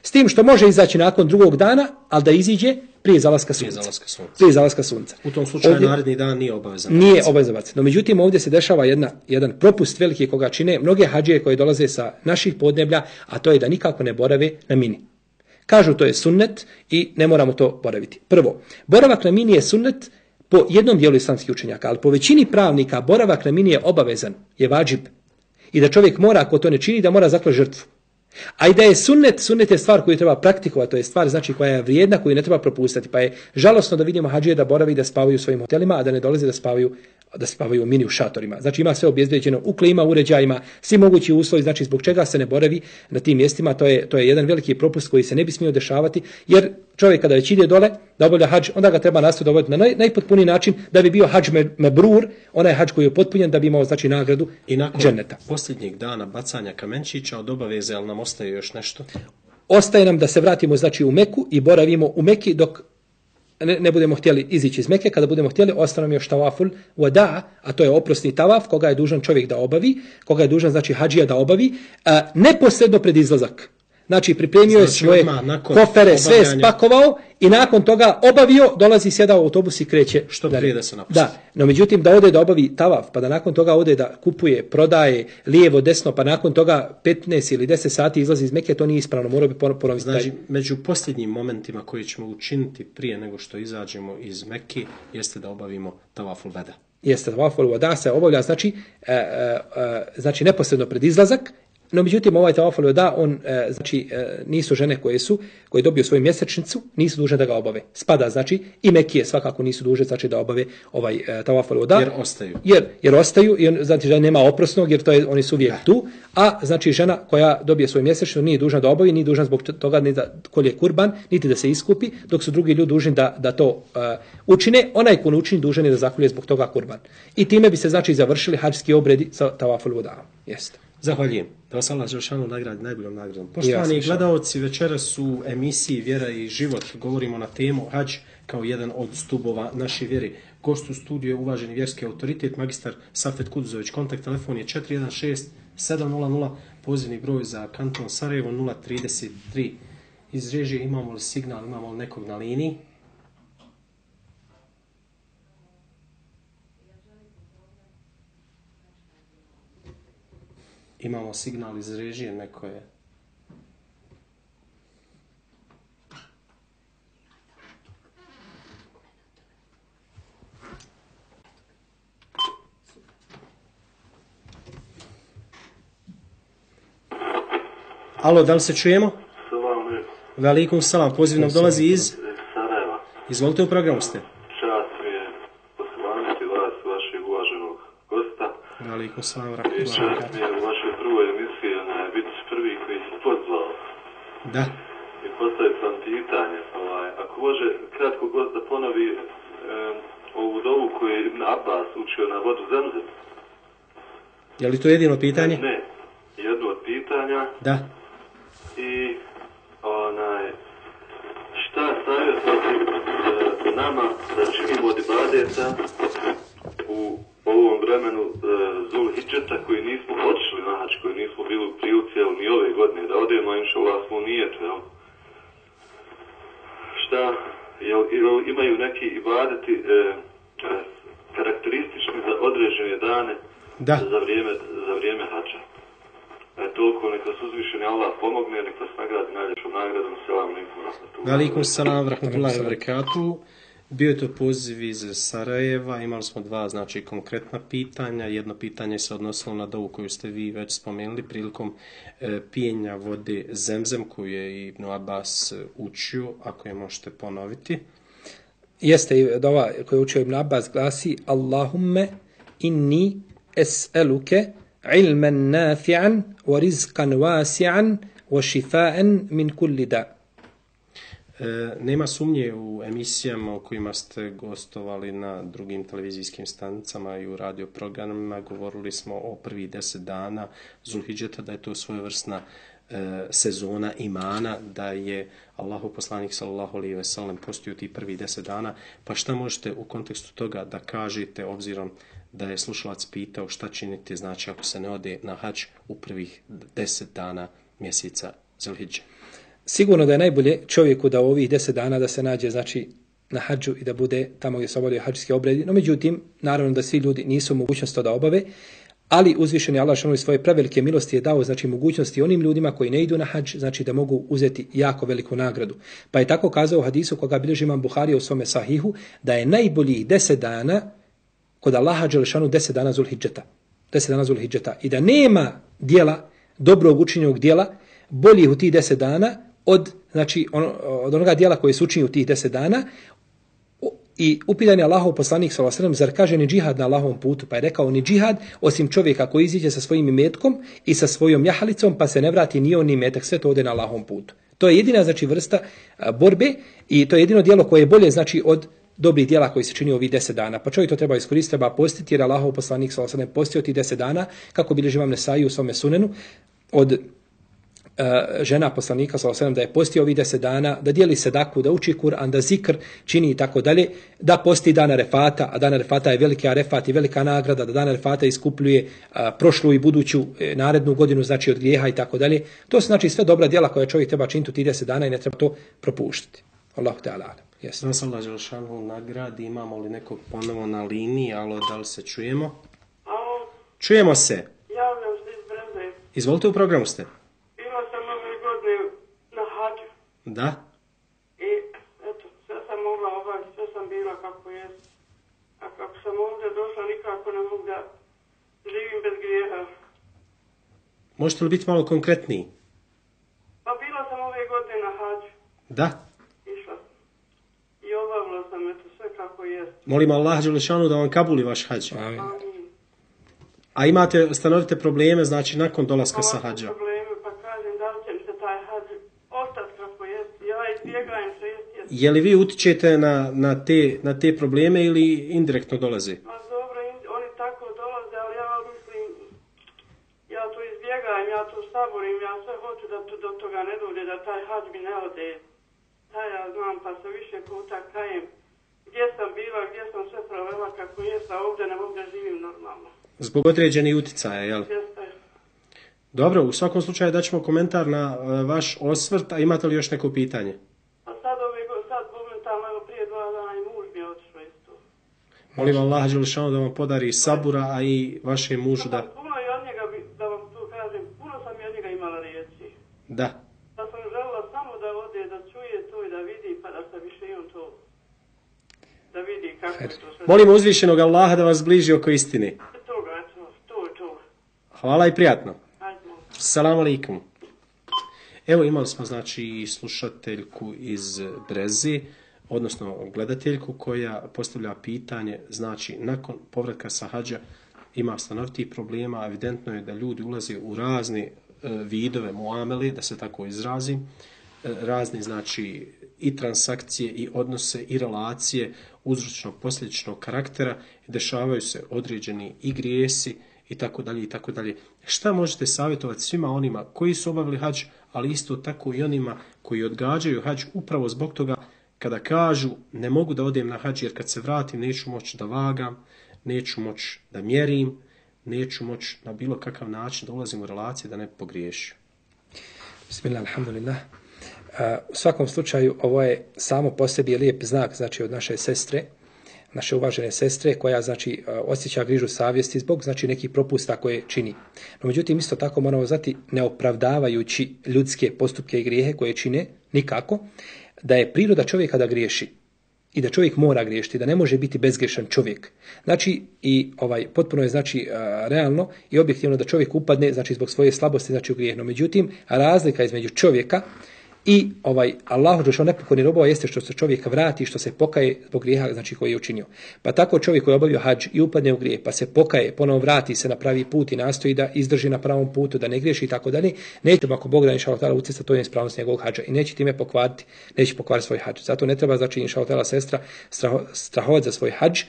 S tim što može izaći nakon drugog dana, ali da iziđe prije zalaska sunca. U tom slučaju ovdje, naredni dan nije obavezan. Nije obavezan. No međutim ovdje se dešava jedan propust veliki koga čine mnoge hadžije koje dolaze sa naših podneblja, a to je da nikako ne borave na Mini. Kažu to je sunnet i ne moramo to boraviti. Prvo, boravak na Mini je sunnet po jednom dijelu islamskih učenjaka, ali po većini pravnika boravak na Mini je obavezan, je vadžib. I da čovjek mora, ako to ne čini, da mora zaklati žrtvu. A i da je sunnet je stvar koju treba praktikovati, to je stvar znači koja je vrijedna, koju ne treba propustiti. Pa je žalosno da vidimo hadžije da borave i da spavaju u svojim hotelima, a da ne dolaze da spavaju u Mini u šatorima. Znači ima sve obezbeđeno u klima, uređajima, svi mogući uslovi, znači zbog čega se ne boravi na tim mjestima, to je jedan veliki propust koji se ne bi smio dešavati, jer čovjek kada već ide dole da obavlja hadž, onda ga treba nastaviti dovoljiti na najpotpuniji način da bi bio hadž mebrur, onaj hadž koji je potpunjen da bi imao znači nagradu i nakon dženneta. Posljednjeg dana bacanja kamenčića od obaveze, ali nam ostaje još nešto? Ostaje nam da se vratimo znači u Meku i boravimo u Meki dok ne budemo htjeli izići iz Meke. Kada budemo htjeli, ostane nam još tavaful wada, a to je oprosni tavaf koga je dužan čovjek da obavi, koga je dužan znači hadžija da obavi, neposredno pred izlazak. Znači pripremio je svoje kofere, sve spakovao i nakon toga obavio, dolazi, sjeda u autobus i kreće. Što prije da se napusti. Da, no međutim da ode da obavi tavaf, pa da nakon toga ode da kupuje, prodaje, lijevo, desno, pa nakon toga 15 ili 10 sati izlazi iz Meke, to nije ispravno, morao bi ponoviti. Znači, među posljednjim momentima koji ćemo učiniti prije nego što izađemo iz Mekke, jeste da obavimo tavaful wada. Jeste, tavaful wada se obavlja, znači neposredno pred izlazak. No međutim ovaj tavaful wada, on nisu žene koje dobiju svoju mjesečnicu, nisu dužne da ga obave. Spada znači i Mekije svakako nisu dužne znači da obave ovaj tavaful wada. Jer ostaju. Jer ostaju i znači da nema oprosnog jer oni su uvijek tu, a znači žena koja dobije svoju mjesečnicu nije dužna da obavi, nije dužna zbog toga ni da kolje kurban, niti da se iskupi, dok su drugi ljudi dužni da to učine. Onaj ko ne učini dužan je da zakolje zbog toga kurban. I time bi se znači završili hadžski obredi sa tavaful wada. Jeste. Zahvaljujem. Da vas Allah dželešanu nagradi najboljom nagradom. Poštovani gledaoci, večeras u emisiji Vjera i život govorimo na temu hadž kao jedan od stubova naše vjere. Gost u studiju je uvaženi vjerski autoritet, magistar Safet Kuduzović. Kontakt telefon je 416 700, pozivni broj za kanton Sarajevo 033. Iz režije imamo li signal, imamo li nekog na liniji? Imamo signal iz režije, neko je... Alo, da li se čujemo? Salam. Velikum salam, poziv nam dolazi iz... Sarajeva. Izvolite, u programu ste. Čast mi je poslaniti vas, vašeg uvaženog gosta. Velikum salam, I rahmatullahi. čast mi je u vašoj prvoj emisiji biti prvi koji se pozvao. Da. I postavio sam pitanje. Ako može kratko gost da ponovi ovu dovu koju je Ibn Abbas učio na vodu Zemzem. Je li to jedino pitanje? Ne, jedno od pitanja. Da. I šta savjetovati nama da činimo od ibadeta u ovom vremenu Zulhidžeta koji nismo otišli na hač, koji nismo bili u prilici ni ove godine da odemo, inšallah smo nijetu, jel? Šta, jel imaju neki ibadeti karakteristični za određene dane za vrijeme hača? Toliko, neka vas uzvišeni Allah pomogne, neka vas nagradi najljepšom nagradom. Selam alejkum. Velikum salam, rahmatullahi wa barakatuh. Bio je to poziv iz Sarajeva, imali smo dva znači konkretna pitanja. Jedno pitanje se odnosilo na dovu koju ste vi već spomenuli prilikom pijenja vode Zemzem koju je Ibn Abbas učio, ako je možete ponoviti. Jeste dova koju je učio Ibn Abbas glasi Allahumme inni es'eluke ilman nafi'an wa rizqan wasi'an wa shifa'an min kulli da. Nema sumnje u emisijama u kojima ste gostovali na drugim televizijskim stanicama i u radio programima. Govorili smo o prvih 10 dana Zulhidžeta, da je to svojevrsna sezona imana, da je Allahu poslanik sallallahu alejhi ve sellem postio ti prvih 10 dana. Pa šta možete u kontekstu toga da kažete, obzirom da je slušalac pitao šta činiti, znači ako se ne ode na hadž u prvih 10 dana mjeseca Zulhidže? Sigurno da je najbolje čovjeku da u ovih 10 dana da se nađe znači na hadžu i da bude tamo gdje se obavljaju hadžski obredi. No međutim, naravno da svi ljudi nisu u mogućnosti to da obave, ali uzvišeni Allah šanovi svoje prevelike milosti je dao znači mogućnosti onim ljudima koji ne idu na hadž, znači da mogu uzeti jako veliku nagradu. Pa je tako kazao u hadisu koga bilježi Imam Buharija u svome sahihu, da je najboljih 10 dana kod Allaha dželešanu 10 dana Zulhidžeta. 10 dana Zulhidžeta. I da nema dijela, dobrog učinjenog dijela, boljih u tih 10 dana od onoga dijela koje se učini u tih 10 dana. I upitan je Allahov poslanik sallallahu alejhi ve sellem, zar kaže ni džihad na Allahovom putu? Pa je rekao ni džihad osim čovjeka koji iziđe sa svojim imetkom i sa svojom jahalicom pa se ne vrati ni on ni imetak, sve to ode na Allahovom putu. To je jedina znači vrsta borbe i to je jedino djelo koje je bolje znači od dobrih djela koji se čini ovih 10 dana. Pa čovjek to treba iskoristiti, treba postiti jer Allahov poslanik sallallahu alejhi ve sellem postio tih 10 dana, kako bilježi Imam Nesai u svome sunenu od žena poslanika sallallahu alejhi ve sellem da je postio ovih 10 dana, da dijeli sedaku, da uči Kur'an, da zikr čini i tako dalje, da posti dan Arefata, a dan Arefata je veliki Arefat i velika nagrada, da dan Arefata iskupljuje prošlu i buduću narednu godinu znači od grijeha i tako dalje. To su znači sve dobra djela koje čovjek treba činiti u tih 10 dana i ne treba to propuštiti. Allahu te ala. Yes. Nas Allah dželešanu nagradi. Imamo li nekog ponovo na liniji? Alo, da li se čujemo? Alo. Čujemo se. Javljam se iz Breze. Izvolite, u programu ste. Bila sam ove godine na hađu. Da. I eto, sve sam mogla obaviti, sve sam bila kako jest. A kako sam ovdje došla, nikako ne mogu da živim bez grijeha. Možete li biti malo konkretniji? Pa bila sam ove godine na hađu. Da. Išla. I obavila sam eto sve kako jest. Molim Allah dželešanu da vam kabuli vaš hadž. Amin. A imate stanovite probleme, znači nakon dolaska sa hađa? Probleme, pa kažem da li će mi se taj hađ ostati kako jest. Ja izbjegajem se jest. Je li vi utičete na te probleme ili indirektno dolazi? Pa dobro, oni tako dolaze, ali ja mislim, ja to izbjegajem, ja to saborim, ja sve hoću da do toga ne dođe, da taj hađ mi ne ode. Taj ja znam, pa se više puta kajem. Gdje sam bila, gdje sam sve provela kako jest, a ovdje ne mogu da živim normalno. Zbog određenih uticaja, jel? Jeste. Dobro, u svakom slučaju daćemo komentar na vaš osvrt, a imate li još neko pitanje? A sad momentalno, evo prije 2 dana i muž mi je otišao isto. Molim Allah dželešanu da vam podari sabura, a i vašem mužu da... Puno i od njega, da vam to kažem, puno sam i od njega imala riječi. Da. Da sam želila samo da ode, da čuje to i da vidi, pa da se više i on to... Da vidi kako je to sve. Molim uzvišenog Allaha da vas bliži oko istine. To. Hvala i prijatno. Ajde. Assalamu alaikum. Evo imali smo znači slušateljku iz Breze, odnosno gledateljku koja postavlja pitanje, znači nakon povratka sa hađa ima stanovitih problema, evidentno je da ljudi ulaze u razne vidove muamele, da se tako izrazim, razne znači i transakcije i odnose i relacije uzročno posljedičnog karaktera, dešavaju se određeni i grijesi i tako dalje i tako dalje. Šta možete savjetovati svima onima koji su obavili hadž, ali isto tako i onima koji odgađaju hadž upravo zbog toga kada kažu ne mogu da odem na hadž jer kad se vratim neću moći da vagam, neću moći da mjerim, neću moći na bilo kakav način da ulazim u relacije da ne pogriješim. Bismillah, alhamdulillah. U svakom slučaju ovo je samo po sebi lijep znak znači od naše sestre, naše uvažene sestre koja znači osjeća grižu savjesti zbog znači nekih propusta koje čini. No međutim isto tako moramo znati ne opravdavajući ljudske postupke i grijehe koje čine nikako da je priroda čovjeka da griješi i da čovjek mora griješiti, da ne može biti bezgrešan čovjek. Znači, i potpuno je znači realno i objektivno da čovjek upadne, znači zbog svoje slabosti, znači u grijeh. No međutim, razlika između čovjeka i Allahu dželle nepokorni robova jeste što se čovjek vrati, što se pokaje zbog grijeha, znači koji je učinio. Pa tako čovjek koji je obavio hadž i upadne u grijeh, pa se pokaje, ponovo vrati se na pravi put i nastoji da izdrži na pravom putu, da ne griješi i tako dalje, neće ako Bog da inshallah taala ucesta to je ispravnost njegovog hadža i neće time pokvariti, neće pokvariti svoj hadž. Zato ne treba znači inshallah taala sestra strahovati za svoj hadž.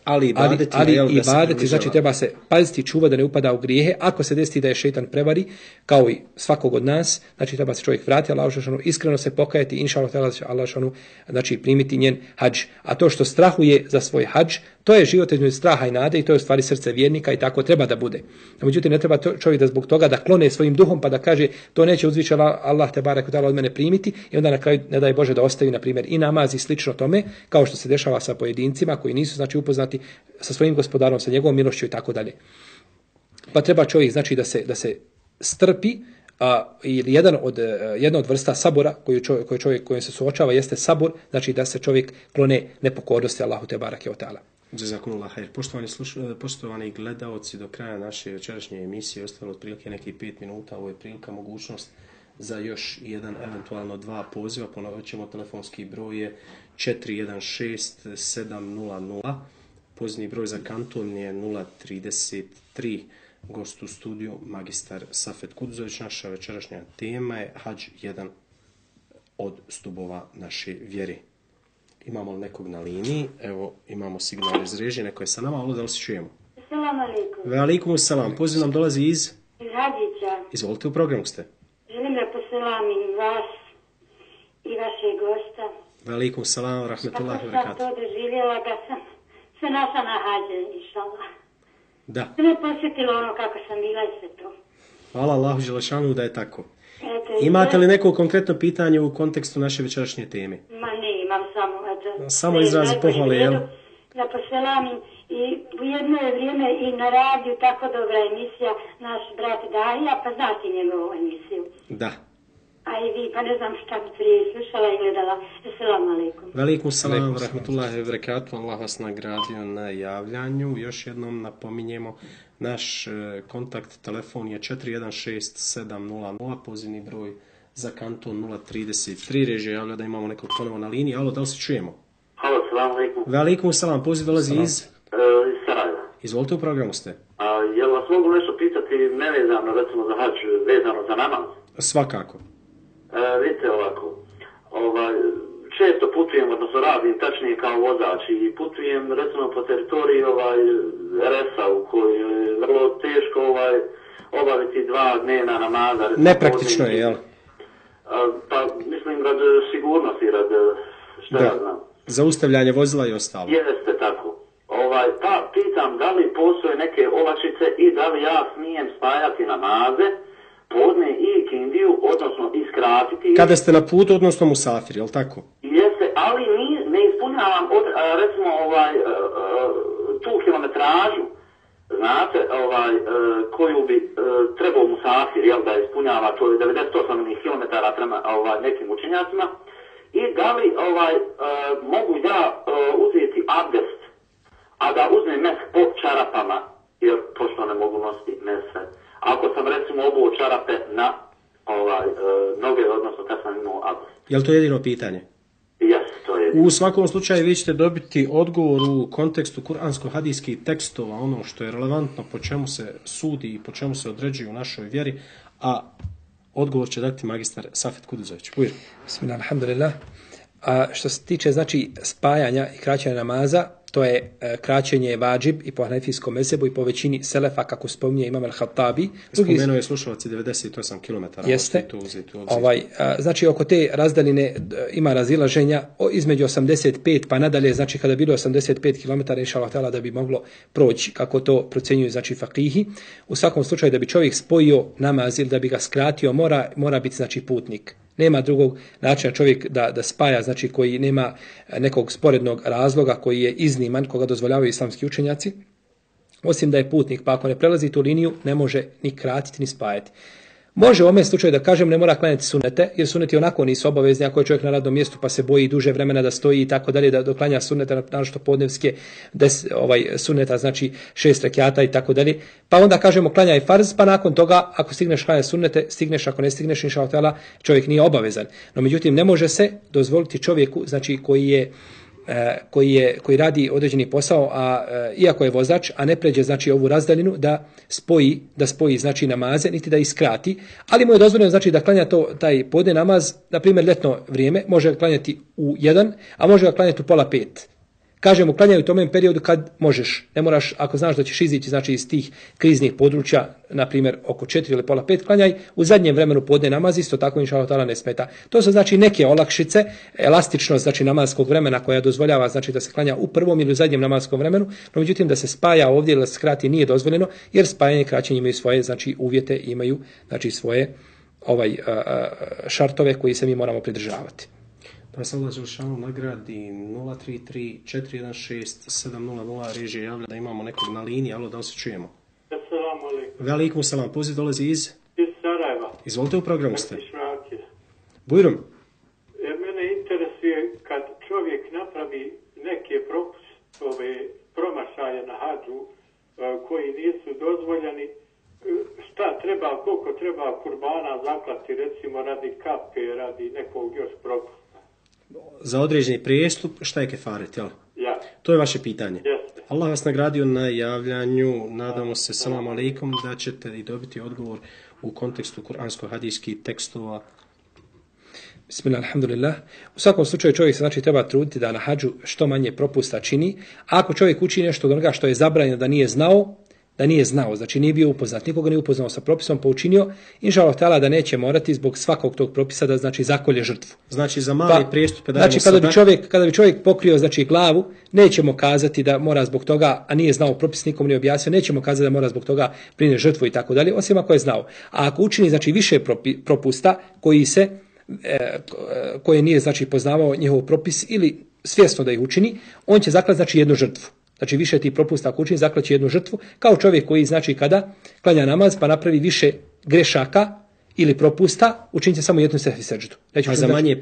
Ali ibadeti, znači treba se paziti i čuvati da ne upada u grijehe. Ako se desi da je šejtan prevari, kao i svakog od nas, znači treba se čovjek vratiti Allahu dželle, iskreno se pokajati, inshallah Allah znači primiti njen hadž. A to što strahuje za svoj hadž, to je život između straha i nade i to je u stvari srce vjernika i tako treba da bude. Međutim, ne treba čovjek da zbog toga da klone svojim duhom pa da kaže to neće uzvišeni Allah te barek od mene primiti i onda na kraju ne daj Bože da ostavi na primjer i namaz i slično tome, kao što se dešava sa pojedincima koji nisu znači upoznati sa svojim gospodarom, sa njegovom milošću i tako dalje. Pa treba čovjek znači da se strpi. Ili jedna od vrsta sabora kojim se suočava jeste sabor, znači da se čovjek klone nepokornosti Allahu te bareke ve taala. Jazakumullah khair. Poštovani gledaoci, do kraja naše večerašnje emisije ostalo otprilike nekih 5 minuta. Ovo je prilika, mogućnost za još jedan, eventualno 2 poziva. Ponovit ćemo, telefonski broj je 416 700. Pozni broj za kanton je 033. Gost u studiju magistar Safet Kudzović. Naša večerašnja tema je hadž, jedan od stubova naše vjere. Imamo li nekog na liniji? Evo, imamo signal iz režije, neko je sa nama, ali da li se čujemo? Assalamu alaikum. Ve alaikum salam. Poziv nam dolazi iz Hadžića. Izvolite, u programu ste. Želim da poselamim vas i vašeg gosta. Ve alaikum salam, rahmetullahi wa barakatuh. Kako sam to doživjela da sam se našla na hađe, inšallah. Da. Sve me posjetilo ono kako sam bila i sve to. Hvala Allahu dželešanu da je tako. Eto, Imate li neko konkretno pitanje u kontekstu naše večerašnje teme? Ma ne, imam samo... Eto, samo izrazi pohvale, jel? Da poselamim i u jedno je vrijeme i na radiju tako dobra emisija, naš brat Dahija, pa znate njegovu emisiju. Da. A i vi, pa ne znam šta bi prije slušala i gledala. Assalamu alaikum. Velikum salam, rahmetullahi wa barakatuh. Allah vas nagradio na javljanju. Još jednom napominjemo, naš kontakt telefon je 416 700, pozivni broj za kanton 033. Režija javlja da imamo nekog ponovo na liniji. Alo, da li se čujemo? Halo, salamu alaikum. Velikum salam, poziv dolazi iz Sarajeva. Izvolite, u programu ste. Jel vas mogu nešto pitati nevezano, recimo za hadž, vezano za namaz? Svakako. Vidite ovako, često putujem, odnosno radim tačnije kao vozač i putujem recimo po teritoriji Resa u kojoj je vrlo teško obaviti 2 dnevna namaza. Nepraktično je, jel? Pa mislim rad sigurnosti, rad šta ja znam. Zaustavljanje vozila i ostalo. Jeste tako. Pa pitam da li postoje neke olakšice i da li ja smijem spajati namaze podne i ikindiju, odnosno iskratiti. Kada ste na putu, odnosno musafir, jel tako? Jeste, ali ne ispunjavam recimo tu kilometražu, znate, koju bi trebao musafir, jel, da ispunjava, to je 98 km prema nekim učenjacima, i da li mogu ja uzeti abdest, a da uzmem mes po čarapama, jer pošto ne mogu nositi mese. Ako sam recimo obuo čarape na noge, odnosno kad sam imao abdest. Je li to jedino pitanje? Jes, to je. U svakom slučaju vi ćete dobiti odgovor u kontekstu kuransko-hadijskih tekstova, ono što je relevantno, po čemu se sudi i po čemu se određuje u našoj vjeri, a odgovor će dati magistar Safet Kudzović. Bujir. Bismillah, alhamdulillah. A što se tiče znači spajanja i kraćenja namaza, to je kraćenje vađib i po hanefijskom mezhebu i po većini selefa, kako spominje Imam al-Khattabi. Spomenuo je slušalac 98 km. Jeste. Znači oko te razdaljine ima razilaženja između 85 pa nadalje, znači kada bilo 85 km inshallah ta'ala da bi moglo proći, kako to procjenjuju znači fakihi. U svakom slučaju da bi čovjek spojio namaz ili da bi ga skratio mora biti znači putnik. Nema drugog načina čovjek da spaja, znači koji nema nekog sporednog razloga koji je izniman, koga dozvoljavaju islamski učenjaci, osim da je putnik, pa ako ne prelazi tu liniju, ne može ni kratiti ni spajati. Može u ovom slučaju da kažem ne mora klanjati sunete, jer suneti onako nisu obavezni ako je čovjek na radnom mjestu pa se boji duže vremena da stoji i tako dalje, da doklanja sunete, naročito podnevske suneta, znači 6 rekjata i tako dalje. Pa onda kažemo klanjaj farz, pa nakon toga ako stigneš klanjati sunete, stigneš, ako ne stigneš, inšallah ta'ala, čovjek nije obavezan. No međutim ne može se dozvoliti čovjeku, znači koji radi određeni posao, a iako je vozač, a ne pređe znači ovu razdaljinu da spoji znači namaze, niti da iskrati, ali mu je dozvoljeno znači da klanja taj podne namaz, na primjer ljetno vrijeme, može ga klanjati u 1, a može ga klanjati u 4:30. Kažemo, klanjaj u tom periodu kad možeš. Ne moraš, ako znaš da ćeš izići znači, iz tih kriznih područja, na primjer oko 4 ili 4:30, klanjaj u zadnjem vremenu podne namaz, isto tako inšallah ta'ala ne smeta. To su znači neke olakšice, elastičnost znači namazskog vremena koja dozvoljava znači da se klanja u prvom ili u zadnjem namazskom vremenu, no međutim da se spaja ovdje ili da se skrati nije dozvoljeno, jer spajanje i kraćenje imaju svoje znači uvjete, imaju znači svoje šartove koji se mi moramo pridržavati. Da se Allah Želešanu nagradi 033-416-700 režije javlja da imamo nekog na liniji, alo da se čujemo. Assalamu alaikum. Velikum selam, poziv dolazi iz Sarajeva. Izvolite, u programu ste. Bujrum. Mene interesuje kad čovjek napravi neke promašaje na hadžu koji nisu dozvoljeni, šta treba, koliko treba kurbana zaklati, recimo radi kape, radi nekog još propusta. Za određeni prijestup, šta je kefaret, jel? Ja. To je vaše pitanje. Jeste. Allah vas nagradio na javljanju, nadamo se, selam alejkum, da ćete i dobiti odgovor u kontekstu kuransko-hadijskih tekstova. Bismillah, alhamdulillah. U svakom slučaju čovjek se znači treba truditi da na hadžu što manje propusta čini. A ako čovjek učini nešto od onoga što je zabranjeno da nije znao, znači nije bio upoznat, nikoga nije upoznao sa propisom, pa učinio, inšallah ta'ala da neće morati zbog svakog tog propisa da znači zakolje žrtvu. Znači za mali prijestup dajemo znači kada bi čovjek pokrio znači glavu, nećemo kazati da mora zbog toga, a nije znao propis, nikom nije objasnio, nećemo kazati da mora zbog toga prinijeti žrtvu i tako dalje, osim ako je znao. A ako učini znači više propusta koje nije znači poznavao njihov propis ili svjesno da ih učini, on će zaklati znači jednu žrtvu. Znači više ti propusta ako učini, zaklaće jednu žrtvu, kao čovjek koji znači kada klanja namaz pa napravi više grešaka ili propusta, učinite samo jednu sehvi seždu. A za manje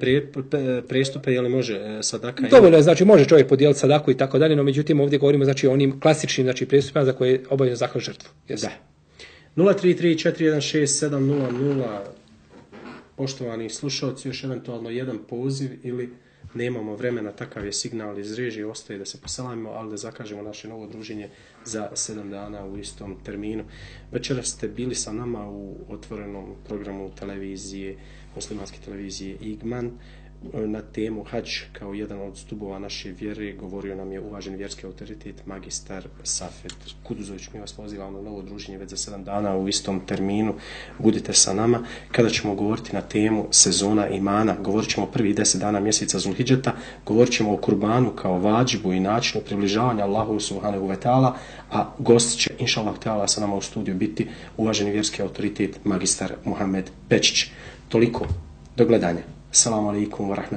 prestupe je li može sadaka? Dovoljno je, znači može čovjek podijeliti sadaku i tako dalje, no međutim ovdje govorimo znači o onim klasičnim znači prestupima za koje je obavezno zaklat žrtvu. Da. 033-416-700 poštovani slušalci, još eventualno jedan poziv ili nemamo vremena, takav je signal iz režije, ostaje da se poselamimo, ali da zakažemo naše novo druženje za 7 dana u istom terminu. Večeras ste bili sa nama u otvorenom programu televizije, muslimanske televizije Igman, na temu Hadž kao jedan od stubova naše vjere. Govorio nam je uvaženi vjerski autoritet magistar Safet Kuduzović. Mi vas pozivamo na novo druženje već za 7 dana u istom terminu. Budite sa nama kada ćemo govoriti na temu sezona imana. Govorit ćemo prvih 10 dana mjeseca Zulhidžeta. Govorit ćemo o kurbanu kao vađibu i načinu približavanja Allahu subhanahu wa ta'ala, a gost će inšallah ta'ala sa nama u studiju biti uvaženi vjerski autoritet magistar Muhammed Pečić. Toliko. Do gledanja. Assalamu alaikum wa rahmatullahi.